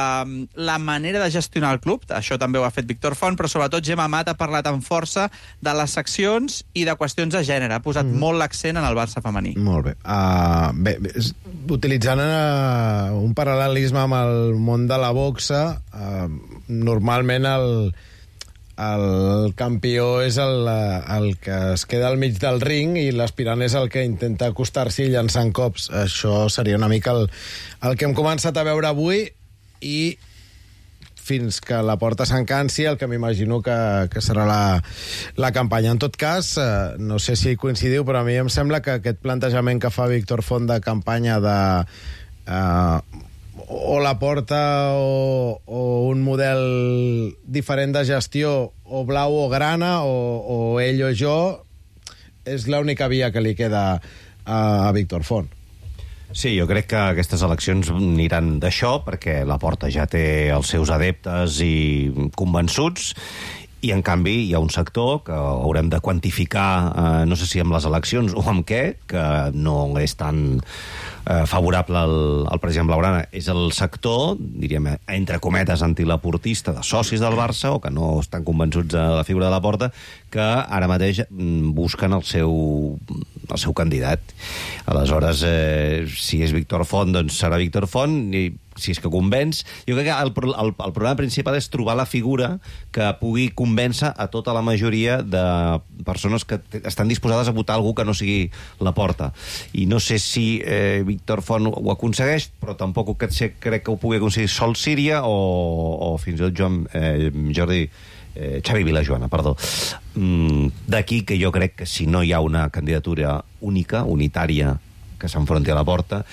la manera de gestionar el club, això també ho ha fet Víctor Font, però sobretot Gemma Amat ha parlat amb força de les seccions i de qüestions de gènere. Ha posat mm. molt l'accent en el Barça femení. Molt bé. Uh, bé, utilitzant uh, un paral·lelisme amb el món de la boxa, uh, normalment el el campió és el, el que es queda al mig del ring i l'aspirant és el que intenta acostar-s'hi llançant cops. Això seria una mica el, el que hem començat a veure avui i fins que la Porta s'encansi, el que m'imagino que, que serà la, la campanya. En tot cas, eh, no sé si coincidiu, però a mi em sembla que aquest plantejament que fa Víctor Font de campanya de... Eh, o la Porta o, o un model diferent de gestió, o blau o grana, o, o ell o jo, és l'única via que li queda a, a Víctor Font. Sí, jo crec que aquestes eleccions aniran d'això, perquè la Porta ja té els seus adeptes i convençuts, i en canvi hi ha un sector que haurem de quantificar, eh, no sé si amb les eleccions o amb què, que no és tan eh, favorable al, al president Blaugrana. És el sector, diríem, entre cometes, antilaportista, de socis del Barça, o que no estan convençuts de la figura de la Porta, que ara mateix busquen el seu, el seu candidat. Aleshores, eh, si és Víctor Font, doncs serà Víctor Font, i si és que convenç. Jo crec que el, el, el problema principal és trobar la figura que pugui convèncer a tota la majoria de persones que estan disposades a votar algú que no sigui la Porta. I no sé si eh, Víctor Font ho aconsegueix, però tampoc crec, crec que ho pugui aconseguir sol Síria o, o fins i tot Joan, eh, Jordi eh, Xavi Vilajoana, perdó. Mm, d'aquí que jo crec que si no hi ha una candidatura única, unitària, que s'enfronti a la Porta,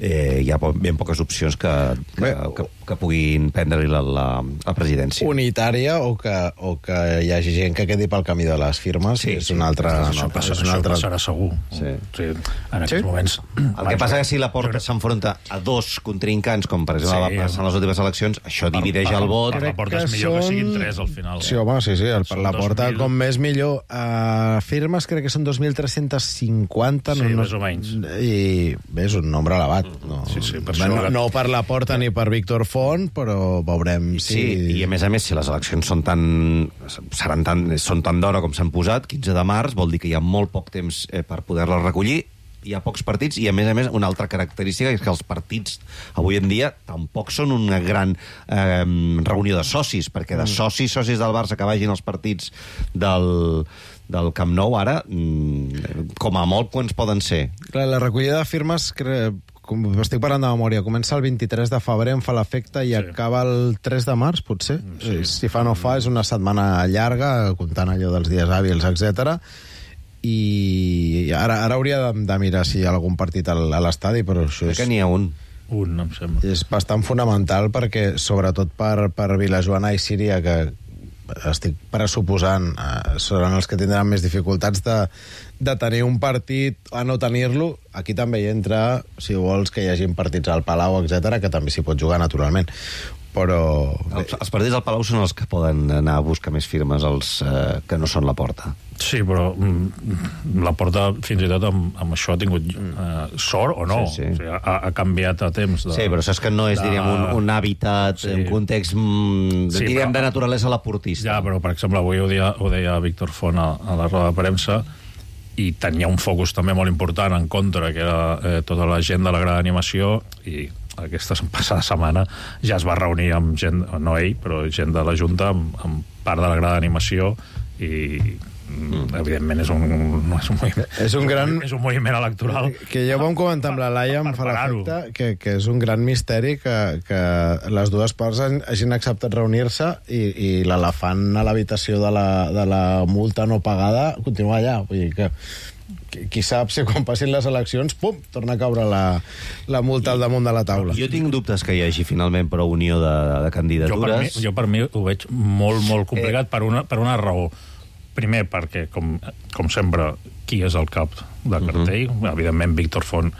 eh, hi ha ben poques opcions que, que, que, que puguin prendre-li la, la, la presidència. Unitària o que, o que hi hagi gent que quedi pel camí de les firmes, sí, és sí, un altre... Això, no, passa, és un això altre... passarà segur. Sí. Sí, en aquests sí? moments... El que passa és que si la Porta s'enfronta a dos contrincants, com per exemple sí, va passar en les últimes eleccions, això per, divideix per, el vot. Per la Porta és millor que siguin tres al final. Sí, home, sí, sí, el, per la Porta dos mil... com més millor. Uh, firmes crec que són dos mil tres-cents cinquanta. Sí, no, més o menys. I bé, és un nombre elevat. No, sí, sí, per no, això... no per la Porta ni per Víctor Font, però veurem si... Sí, i a més a més, si les eleccions són tan, seran tan, són tan d'hora com s'han posat, quinze de març, vol dir que hi ha molt poc temps eh, per poder-les recollir, hi ha pocs partits, i a més a més una altra característica és que els partits avui en dia tampoc són una gran eh, reunió de socis, perquè de socis, socis del Barça que vagin als partits del, del Camp Nou ara, com a molt quants poden ser? Clar, la recollida de firmes, crec, com estic parlant de memòria, comença el vint-i-tres de febrer, em fa l'efecte, i sí. acaba el tres de març, potser. Sí. Si fa no fa, és una setmana llarga, comptant allò dels dies hàbils, etcètera. I ara, ara hauria de, de mirar si hi ha algun partit a l'estadi, però això és... Que n'hi ha un. Un, em sembla. És bastant fonamental perquè, sobretot per, per Vilajoana i Síria, que estic pressuposant, eh, seran els que tindran més dificultats de, de tenir un partit a no tenir-lo. Aquí també hi entra, si vols, que hi hagin partits al Palau, etcètera, que també s'hi pot jugar, naturalment. Però... Els, els partits al Palau són els que poden anar a buscar més firmes, els eh, que no són la Porta. Sí, però mm, la Porta, fins i tot, amb, amb això ha tingut eh, sort o no. Sí, sí. O sigui, ha, ha canviat a temps. De, sí, però saps que no és, de... diríem, un, un hàbitat, sí. un context, mm, sí, diríem, però, de naturalesa laportista. Ja, però, per exemple, avui ho deia, ho deia Víctor Font a, a la roda de premsa, i tenia un focus també molt important en contra, que era eh, tota la gent de la gran animació, i aquesta passada setmana ja es va reunir amb gent, no ell, però gent de la Junta, amb, amb part de la gran animació, i mm. evidentment és un, no és un moviment, és un gran... és un moviment electoral. Que ja ho vam comentar amb la Laia, em fa l'efecte que, que és un gran misteri que, que les dues parts hagin acceptat reunir-se i, i l'elefant a l'habitació de, la, de la multa no pagada continua allà. Vull dir que qui sap si quan passin les eleccions, pum, torna a caure la, la multa al damunt de la taula. Jo tinc dubtes que hi hagi finalment prou unió de, de candidatures. Jo per, mi, jo per mi ho veig molt, molt complicat eh. per, una, per una raó. Primer, perquè, com, com sempre, qui és el cap de cartell? Uh -huh. Evidentment, Víctor Font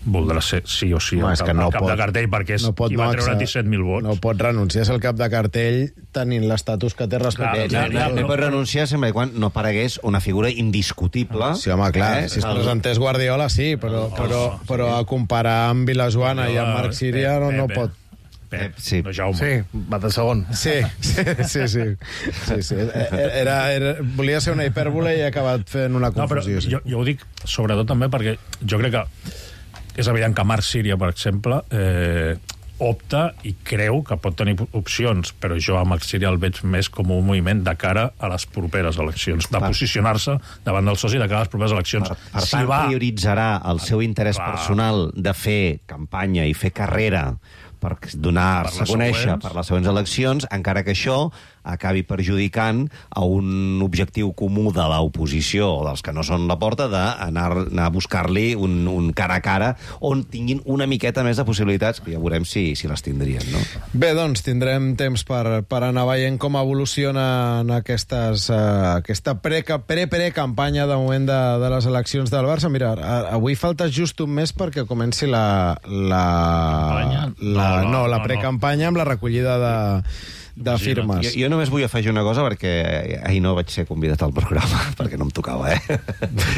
voldrà ser sí o sí no, el, és cap, que no el cap pot, de cartell, perquè és no pot qui va no treure accedir, disset mil vots. No pot renunciar a ser el cap de cartell tenint l'estatus que té respecte. Clar, clar, clar, pot renunciar sempre i quan no aparegués una figura indiscutible. Sí, home, clar, eh? si es presentés Guardiola, sí, però, però, però a comparar amb Vilajoana i amb Marc Síria no, no pot. Pep, sí. no Jaume. Sí, va de segon. Sí, sí, sí. sí. sí, sí. Era, era, volia ser una hipèrbole i ha acabat fent una confusió. No, però jo, jo ho dic sobretot també perquè jo crec que és evident que Marc Síria, per exemple, eh, opta i creu que pot tenir opcions, però jo a Marc Síria el veig més com un moviment de cara a les properes eleccions, de posicionar-se davant del soci de cara a les properes eleccions. Per, per si tant, va... prioritzarà el seu interès Clar. personal de fer campanya i fer carrera per donar-se a conèixer següents. per les següents eleccions, encara que això acabi perjudicant a un objectiu comú de l'oposició o dels que no són la porta d'anar anar a buscar-li un, un cara a cara on tinguin una miqueta més de possibilitats, que ja veurem si, si les tindrien, no? Bé, doncs tindrem temps per, per anar veient com evoluciona en aquestes, uh, aquesta pre-pre-campanya de moment de, de les eleccions del Barça. Mira, avui falta just un mes perquè comenci la... la, la no, no, la precampanya amb la recollida de... de firmes. Jo, jo només vull afegir una cosa perquè ahir no vaig ser convidat al programa perquè no em tocava, eh?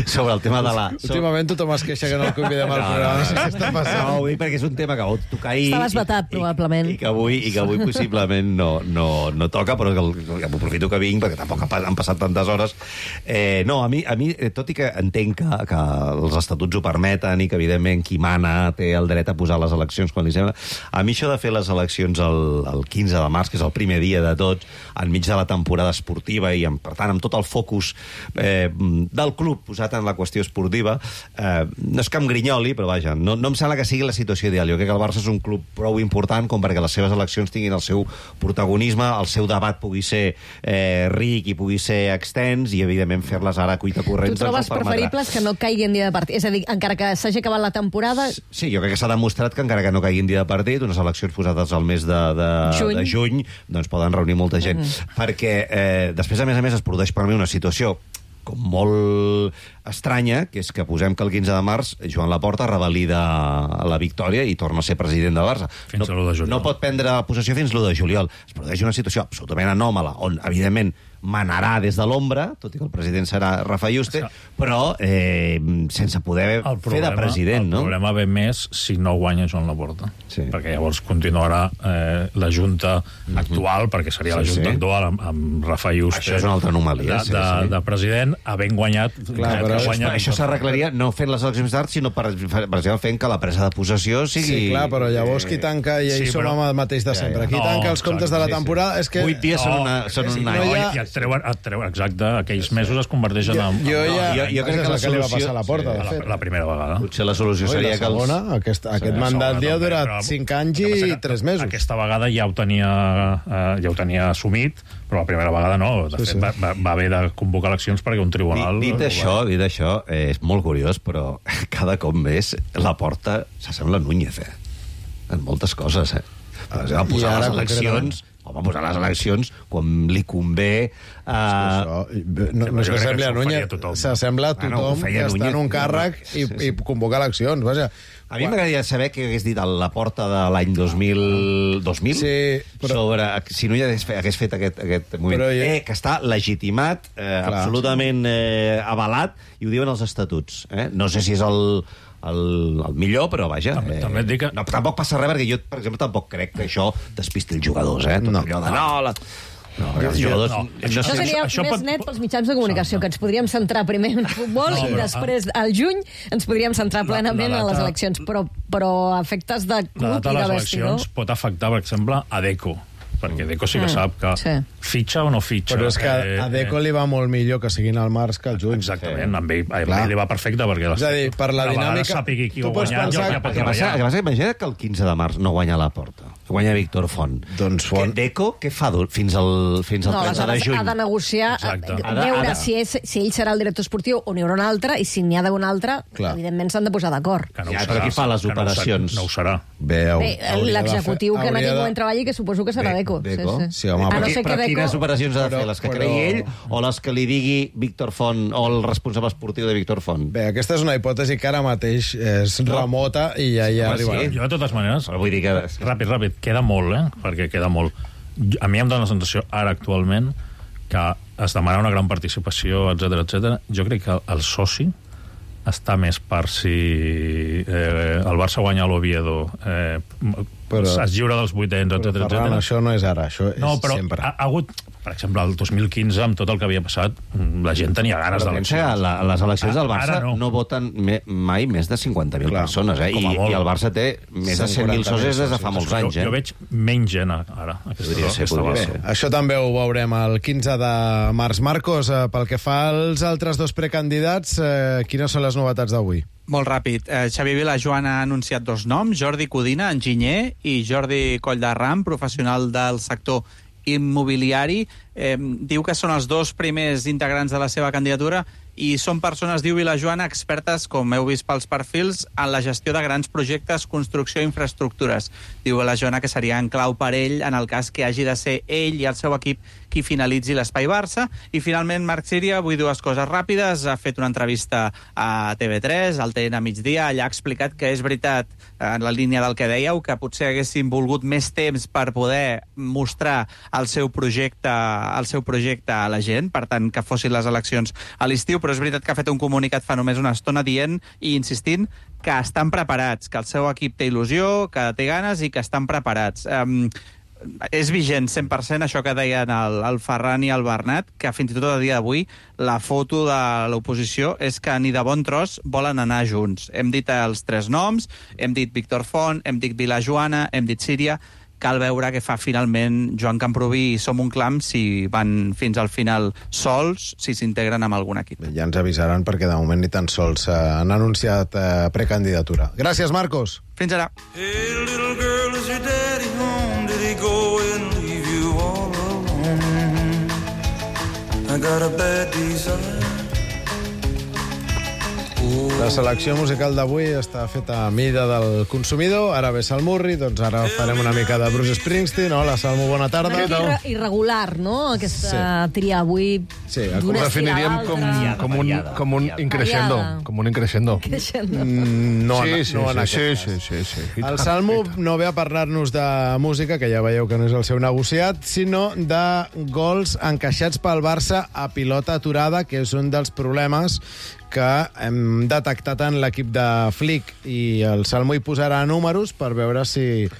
Sobre el tema de la... Últimament tothom es queixa que no el convidem al programa. No, no, no, no està passant. No, ho dic perquè és un tema que vau tocar ahir... Estaves vetat, probablement. I, i, que avui, I que avui possiblement no, no, no toca, però que, que aprofito que vinc perquè tampoc han passat tantes hores. Eh, no, a mi, a mi, tot i que entenc que, que els estatuts ho permeten i que, evidentment, qui mana té el dret a posar les eleccions quan li sembla, a mi això de fer les eleccions el, el quinze de març, que és el primer dia de tots, enmig de la temporada esportiva i, amb, per tant, amb tot el focus eh, del club posat en la qüestió esportiva, eh, no és que em grinyoli, però vaja, no, no em sembla que sigui la situació ideal. Jo crec que el Barça és un club prou important com perquè les seves eleccions tinguin el seu protagonisme, el seu debat pugui ser eh, ric i pugui ser extens i, evidentment, fer-les ara a cuita corrents. Tu trobes preferibles que no caiguin dia de partit? És a dir, encara que s'hagi acabat la temporada... Sí, jo crec que s'ha demostrat que encara que no caiguin dia de partit, unes eleccions posades al mes de, de, juny. de juny, doncs poden reunir molta gent. Mm. Perquè eh, després, a més a més, es produeix per mi una situació com molt estranya, que és que posem que el quinze de març Joan Laporta revalida la victòria i torna a ser president del Barça. Fins no, a l'u de juliol. No pot prendre possessió fins l'u de juliol. Es produeix una situació absolutament anòmala, on, evidentment, manarà des de l'ombra, tot i que el president serà Rafa Yuste, però eh, sense poder problema, fer de president, el no? El problema ve més si no guanya Joan Laporta. Sí. Perquè llavors continuarà eh, la Junta mm-hmm. actual, perquè seria sí, la Junta sí. actual amb, amb Rafa Yuste. Això és una altra anomalia. De, sí, de, sí. de president, havent guanyat... Clar, però guanyat això s'arreglaria no fent les eleccions tard, sinó per, per exemple fent que la presa de possessió sigui... Sí, clar, però llavors qui tanca, i sí, sí, som però... amb el mateix de sempre, qui no, tanca els comptes exacte, de la sí, temporada... sí. És que... Vuit dies no, són, una, són sí, un any. No, hi ha... i et treuen, et treuen, exacte, aquells mesos es converteixen en... Jo, jo, ja, jo, jo crec que la que li va solució... passar a la porta, sí, de fet. la, la primera vegada. Potser la solució Ui, seria la que els... segona, aquest, aquest Sí, mandat li ha també, durat però- cinc anys i tres mesos. Aquesta vegada ja ho tenia, eh, ja ho tenia assumit, però la primera vegada no. De Sí, fet, sí. va, va, va haver de convocar eleccions perquè un tribunal... Dit, dit això, dit això eh, és molt curiós, però cada cop més la porta s'assembla a Núñez, eh? En moltes coses, eh? Per exemple, posar I ara, les eleccions... Home, posar les eleccions quan li convé... Uh... Això, no, no jo crec que s'assembla a això ho Núñez, faria tothom. s'assembla a Bueno, ho tothom feia que està Núñez. en un càrrec i, Sí, sí. i convocar eleccions, vaja. A mi m'agradaria saber què hagués dit a la porta de l'any dos mil... dos mil? Sí, però- Sobre si Núñez hagués fet, hagués fet aquest, aquest moviment. Però jo- Eh, que està legitimat, eh, absolutament eh, avalat, i ho diuen els estatuts. Eh? No sé si és el... El, el millor, però vaja... També- eh, també et dic que- no, tampoc passa res, perquè jo, per exemple, tampoc crec que això despisti els jugadors, eh? Tot No. allò de... No, la... no, perquè els Jo- jugadors... no, no, Això sé- seria això més pot- net pels mitjans de comunicació, que ens podríem centrar primer en futbol No, i però- després, al juny, ens podríem centrar La- plenament la en les data- eleccions. Però, però a efectes de La club data i de de les vestidor... eleccions pot afectar, per exemple, a Deco, perquè Deco sí que Mm, sap que sí. fitxa o no fitxa. Però és que Eh, a Deco li va molt millor que siguin al març que al juny. Exactament, amb ell, a Clar. ell li va perfecte, perquè És a dir, per la a vegades dinàmica- sàpigui qui tu ho pots guanyat, pensar- ja, ja pot El que passa, el que treballar. passa, imagina't que el quinze de març no guanya la porta. Guanya Víctor Font. Doncs Font... Que Deco, què fa dur- fins al, fins al No, trenta de aleshores juny? ha de negociar, Exacte. eh, Ha de- veure ha de- si, és, si ell serà el director esportiu o n'hi haurà un altre, i si n'hi ha d'haver un altre, Clar. evidentment s'han de posar d'acord. Que no Ja, ho però serà, qui fa les que no ho serà, operacions? No ho serà. Bé, Bé, hauria de l'executiu fer- que en hauria aquell de- moment treballi, que suposo que serà Be- Deco. Deco? Sí, sí. Sí, home, a però no qui- ser que però qui quines operacions ha de fer, les que però... creï ell o les que li digui Víctor Font o el responsable esportiu de Víctor Font? Bé, aquesta és una hipòtesi que ara mateix és no. remota i ja hi arribarà. Sí. Jo, de totes maneres, vull dir que... ràpid, ràpid, queda molt, eh? Perquè queda molt. A mi em dóna la sensació, ara actualment, que es demana una gran participació, etcètera, etcètera. Jo crec que el soci està més per si eh, el Barça guanya l'Oviedo, eh, però, es lliura dels vuitens, etcètera, Ferran, etcètera. això no és ara, això és no, però sempre. Ha, ha hagut, per exemple, el dos mil quinze, amb tot el que havia passat, la gent tenia ganes d'eleccions. La, les eleccions del Barça no. no voten me, mai més de cinquanta mil persones, eh? I, I el Barça té més de cent mil socis des de fa molts anys. Jo, eh? jo veig menys gent ara. Aquesta, ser, ser. Bé, això també ho veurem el quinze de març. Marcos, eh, pel que fa als altres dos precandidats, eh, quines són les novetats d'avui? Molt ràpid. Eh, Xavi Vilajoan ha anunciat dos noms, Jordi Codina, enginyer, i Jordi Colldarram, professional del sector immobiliari. Eh, diu que són els dos primers integrants de la seva candidatura i són persones, diu Vilajoana, expertes, com heu vist pels perfils, en la gestió de grans projectes, construcció i infraestructures. Diu Vilajoana que seria en clau per ell en el cas que hagi de ser ell i el seu equip qui finalitzi l'Espai Barça. I finalment Marc Síria, vull dues coses ràpides, ha fet una entrevista a T V tres, al T N a migdia, allà ha explicat que és veritat, en la línia del que dèieu, que potser haguessin volgut més temps per poder mostrar el seu projecte, el seu projecte a la gent, per tant, que fossin les eleccions a l'estiu, però és veritat que ha fet un comunicat fa només una estona dient i insistint que estan preparats, que el seu equip té il·lusió, que té ganes i que estan preparats. Um, és vigent cent per cent això que deien el, el Ferran i el Bernat, que fins i tot a dia d'avui la foto de l'oposició és que ni de bon tros volen anar junts. Hem dit els tres noms, hem dit Víctor Font, hem dit Vilajoana, hem dit Síria. Cal veure què fa finalment Joan Camprubí i Som un Clam, si van fins al final sols, si s'integren amb algun equip. Ja ens avisaran perquè de moment ni tan sols eh, han anunciat eh, precandidatura. Gràcies, Marcos. Fins ara. Hey, little girl, is your daddy home? Did he go and leave you all alone? I got a bad desire. La selecció musical d'avui està feta a mida del consumidor. Ara ve Salmurri, doncs ara farem una mica de Bruce Springsteen. Hola, Salmo, bona tarda. Irre irregular, no?, aquesta sí. tria avui. Sí, ho definiríem com, com, un, com un increixendo. Com un increixendo. Mm, no, sí, sí, no en sí, aquest sí, sí, sí, sí. El Salmo no ve a parlar-nos de música, que ja veieu que no és el seu negociat, sinó de gols encaixats pel Barça a pilota aturada, que és un dels problemes que hem detectat en l'equip de Flick, i el Salmo hi posarà números per veure si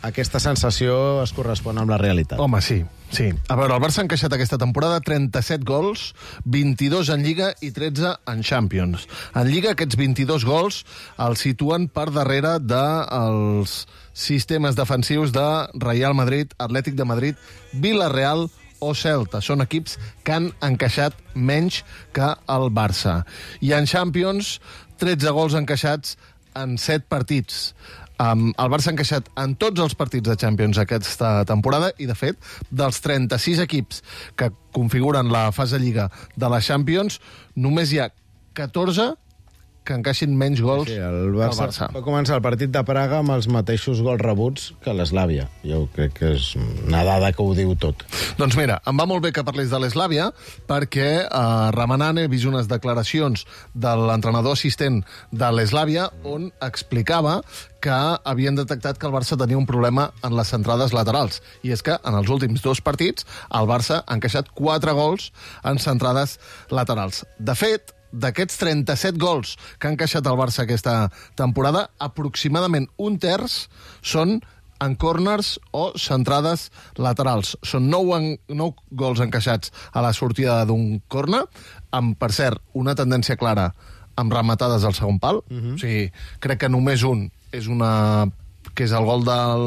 aquesta sensació es correspon amb la realitat. Home, sí, sí. A veure, el Barça ha encaixat aquesta temporada trenta-set gols, vint-i-dos en Lliga i tretze en Champions. En Lliga, aquests vint-i-dos gols els situen per darrere dels sistemes defensius de Real Madrid, Atlètic de Madrid, Villarreal o Celta. Són equips que han encaixat menys que el Barça. I en Champions, tretze gols encaixats en set partits. Um, el Barça ha encaixat en tots els partits de Champions aquesta temporada i, de fet, dels trenta-sis equips que configuren la fase Lliga de la Champions, només hi ha catorze que encaixin menys gols sí, el Barça, que el Barça. Va començar el partit de Praga amb els mateixos gols rebuts que l'Eslàvia. Jo crec que és una dada que ho diu tot. Doncs mira, em va molt bé que parlés de l'Eslàvia perquè eh, remenant he vist unes declaracions de l'entrenador assistent de l'Eslàvia on explicava que havien detectat que el Barça tenia un problema en les centrades laterals. I és que en els últims dos partits el Barça ha encaixat quatre gols en centrades laterals. De fet, d'aquests trenta-set gols que ha encaixat el Barça aquesta temporada, aproximadament un terç són en corners o centrades laterals. Són nou, en, nou gols encaixats a la sortida d'un corner, amb, per cert, una tendència clara amb rematades al segon pal. Uh-huh. O sigui, crec que només un és una que és el gol del...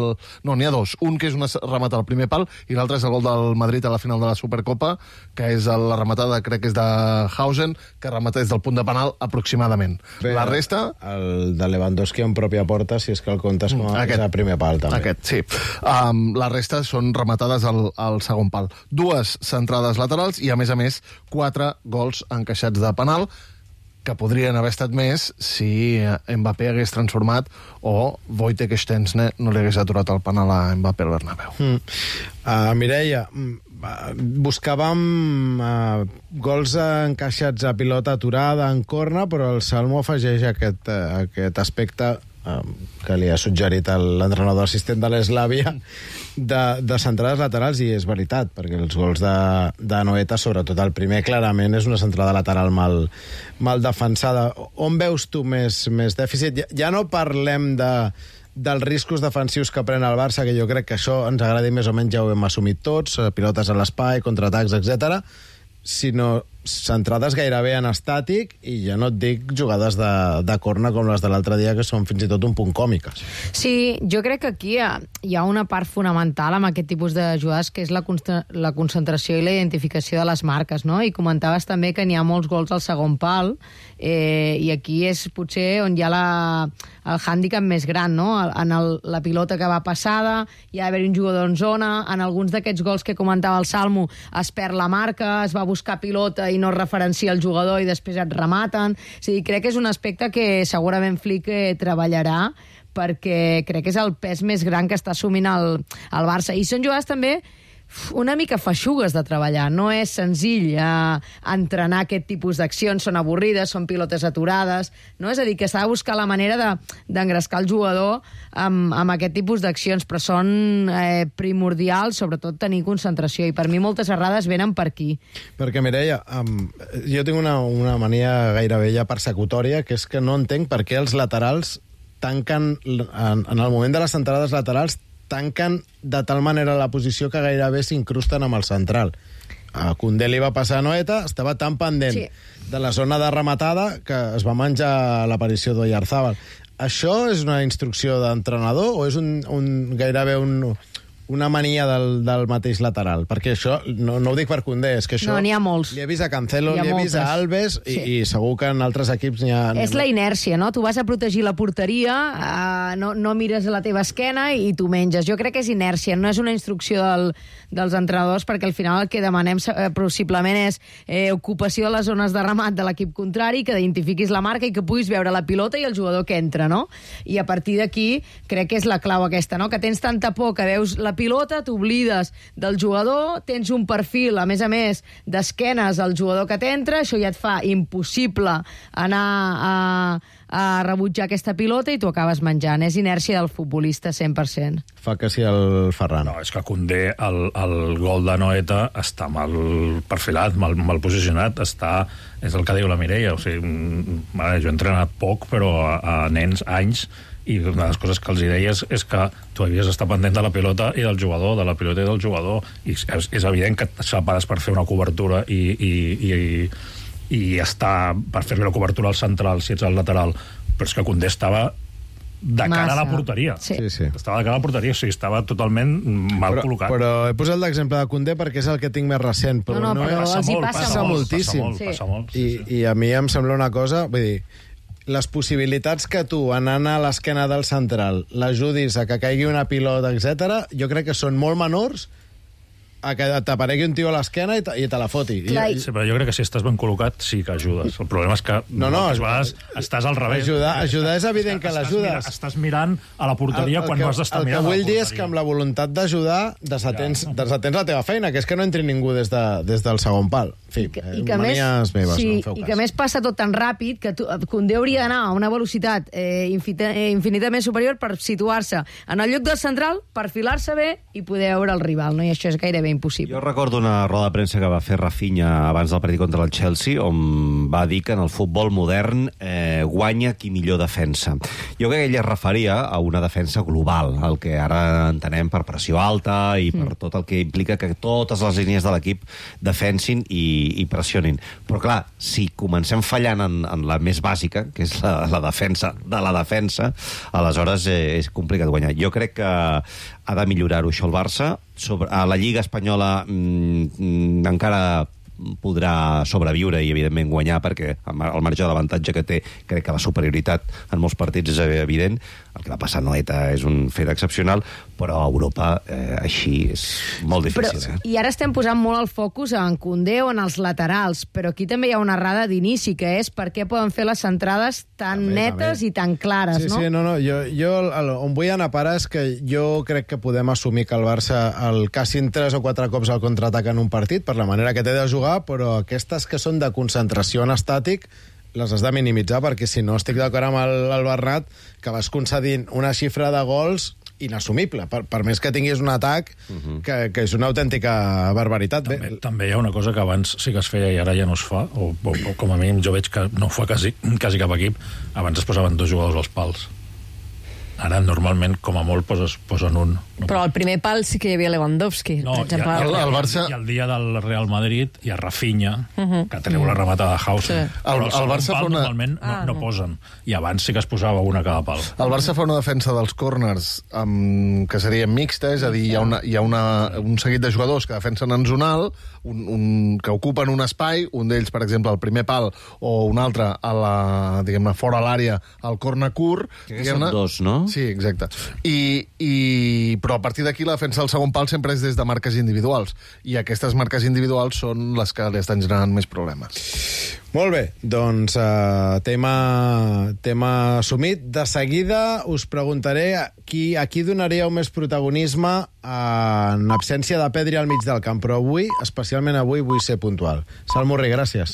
No, n'hi ha dos. Un que és una rematada al primer pal i l'altre és el gol del Madrid a la final de la Supercopa, que és la rematada, crec que és de Hausen, que remata des del punt de penal aproximadament. Bé, la resta... El de Lewandowski en pròpia porta, si és que el comptes com a aquest, primer pal, també. Aquest, sí. Um, la resta són rematades al, al segon pal. Dues centrades laterals i, a més a més, quatre gols encaixats de penal, que podrien haver estat més si Mbappé hagués transformat o Wojtek Szczęsny no li hagués aturat el penal a Mbappé al Bernabéu. Mm. Uh, Mireia, buscàvem uh, gols encaixats a pilota aturada, en corna, però el Salmo afegeix aquest, uh, aquest aspecte uh, que li ha suggerit l'entrenador assistent de l'Eslàvia de, de centrades laterals, i és veritat, perquè els gols de, de Noeta, sobretot el primer, clarament és una centrada lateral mal, mal defensada. On veus tu més, més dèficit? Ja, ja no parlem de dels riscos defensius que pren el Barça, que jo crec que això ens agradi més o menys, ja ho hem assumit tots, pilotes a l'espai, contraatacs, etcètera, sinó centrades gairebé en estàtic, i ja no et dic jugades de, de corna com les de l'altre dia, que són fins i tot un punt còmiques. Sí, jo crec que aquí hi ha, hi ha una part fonamental amb aquest tipus de jugades, que és la, la concentració i la identificació de les marques, no? I comentaves també que n'hi ha molts gols al segon pal, eh, i aquí és potser on hi ha la, el hàndicap més gran, no? En el, la pilota que va passada, hi ha d'haver un jugador en zona, en alguns d'aquests gols que comentava el Salmo es perd la marca, es va buscar pilota i no referencia el jugador i després et rematen. O sigui, crec que és un aspecte que segurament Flick eh, treballarà, perquè crec que és el pes més gran que està assumint el, el Barça. I són jugades també una mica feixugues de treballar. No és senzill eh, entrenar aquest tipus d'accions, són avorrides, són pilotes aturades, no? És a dir, que s'ha de buscar la manera d'engrescar de, el jugador amb, amb aquest tipus d'accions, però són eh, primordials, sobretot tenir concentració, i per mi moltes errades venen per aquí. Perquè, Mireia, um, jo tinc una, una mania gairebé ja persecutòria, que és que no entenc per què els laterals tanquen, en, en el moment de les centrades laterals, tanquen de tal manera la posició que gairebé s'incrusten amb el central. A Koundé li va passar a Noeta, estava tan pendent sí. de la zona de rematada que es va menjar l'aparició d'Oyarzabal. Això és una instrucció d'entrenador o és un, un, gairebé un, una mania del, del mateix lateral? Perquè això, no, no ho dic per Koundé, és que això... No, n'hi ha molts. Li he vist a Cancelo, li he vist a Alves, sí. i, i segur que en altres equips n'hi ha... És la inèrcia, no? Tu vas a protegir la porteria, uh, no, no mires a la teva esquena i tu menges. Jo crec que és inèrcia, no és una instrucció del, dels entrenadors, perquè al final el que demanem eh, possiblement és eh, ocupació de les zones de remat de l'equip contrari, que identifiquis la marca i que puguis veure la pilota i el jugador que entra, no? I a partir d'aquí crec que és la clau aquesta, no? Que tens tanta por que veus la pilota, t'oblides del jugador, tens un perfil, a més a més, d'esquenes al jugador que t'entra, això ja et fa impossible anar a, a rebutjar aquesta pilota i tu acabes menjant. És inèrcia del futbolista cent per cent. Fa que sí el Ferran. No, és que Koundé, el, el gol de Noeta està mal perfilat, mal, mal posicionat, està... És el que diu la Mireia, o sigui, vale, jo he entrenat poc, però a, a nens, anys, i una de les coses que els hi deia és, és que tu havies d'estar pendent de la pilota i del jugador, de la pilota i del jugador, i és, és evident que et separes per fer una cobertura i, i, i, i, i estar per fer-li la cobertura al central si ets al lateral, però és que Koundé estava de cara Massa. a la porteria. Sí. Sí, sí. Estava de cara a la porteria, o sigui, estava totalment mal però, col·locat. Però he posat l'exemple de Koundé perquè és el que tinc més recent, però no, no, no però passa, els hi molt, passa, passa molt. moltíssim. Passa molt, sí. passa molt. Sí, sí. I, I a mi em sembla una cosa, vull dir, les possibilitats que tu, anant a l'esquena del central, l'ajudis a que caigui una pilota, etcètera, jo crec que són molt menors a que t'aparegui un tio a l'esquena i, i te la foti. Clar, I, sí, però jo crec que si estàs ben col·locat sí que ajudes. El problema és que no, no, moltes vegades estàs al revés. Ajudar, ajudar és evident que l'ajudes. Estàs, estàs mirant a la porteria el, el quan que, no has d'estar mirant a la porteria. El que vull dir és que amb la voluntat d'ajudar desatens, ja. desatens la teva feina, que és que no entri ningú des, de, des del segon pal. En fi, I que, eh, i que manies més, meves, sí, no em feu i cas. que més passa tot tan ràpid que tu, Koundé hauria d'anar a una velocitat eh, infinita, eh, infinitament superior per situar-se en el lloc del central, perfilar-se bé i poder veure el rival, no? I això és gairebé impossible. Jo recordo una roda de premsa que va fer Rafinha abans del partit contra el Chelsea, on va dir que en el futbol modern eh, guanya qui millor defensa. Jo crec que ell es referia a una defensa global, el que ara entenem per pressió alta i per mm. tot el que implica que totes les línies de l'equip defensin i, i pressionin. Però clar, si comencem fallant en, en la més bàsica, que és la, la defensa de la defensa, aleshores eh, és complicat guanyar. Jo crec que ha de millorar-ho això el Barça. Sobre, a la Lliga Espanyola mm, encara podrà sobreviure i, evidentment, guanyar, perquè el marge d'avantatge que té, crec que la superioritat en molts partits és evident. el que va passar a Noeta és un fet excepcional, però a Europa eh, així és molt difícil. Però, eh? I ara estem posant molt el focus en Koundé o en els laterals, però aquí també hi ha una errada d'inici, que és per què poden fer les centrades tan també, netes també. i tan clares, sí, no? Sí, no, no, jo, jo el, on vull anar a parar és que jo crec que podem assumir que el Barça el cassin tres o quatre cops al contraatac en un partit, per la manera que té de jugar, però aquestes que són de concentració en estàtic les has de minimitzar, perquè si no estic d'acord amb el, el Bernat, que vas concedint una xifra de gols inassumible, per, per més que tinguis un atac uh-huh. que, que és una autèntica barbaritat. També, Bé, també hi ha una cosa que abans sí que es feia i ara ja no es fa, o, o, o com a mínim jo veig que no ho fa quasi, quasi cap equip. Abans es posaven dos jugadors als pals. Ara, normalment, com a molt, poses, posen un. Però al primer pal sí que hi havia Lewandowski, no, per exemple. I, el, el Barça... I el dia del Real Madrid hi ha Rafinha, uh -huh. que treu uh -huh. la rematada de Hausen. Sí. Però el, el Barça pal, fa una... normalment no, ah, no no posen. I abans sí que es posava una a cada pal. El Barça fa una defensa dels córners um, que serien mixta, és a dir, hi ha, una, hi ha una, un seguit de jugadors que defensen en zonal, un, un, que ocupen un espai, un d'ells, per exemple, al primer pal, o un altre a la, diguem-ne, fora l'àrea, al córner curt. Que són dos, no? Sí, exacte. I, i, però a partir d'aquí la defensa del segon pal sempre és des de marques individuals, i aquestes marques individuals són les que li estan generant més problemes. Molt bé, doncs uh, tema, tema assumit. De seguida us preguntaré a qui, a qui donaríeu més protagonisme en absència de Pedri al mig del camp, però avui, especialment avui, vull ser puntual. Salmurri, gràcies.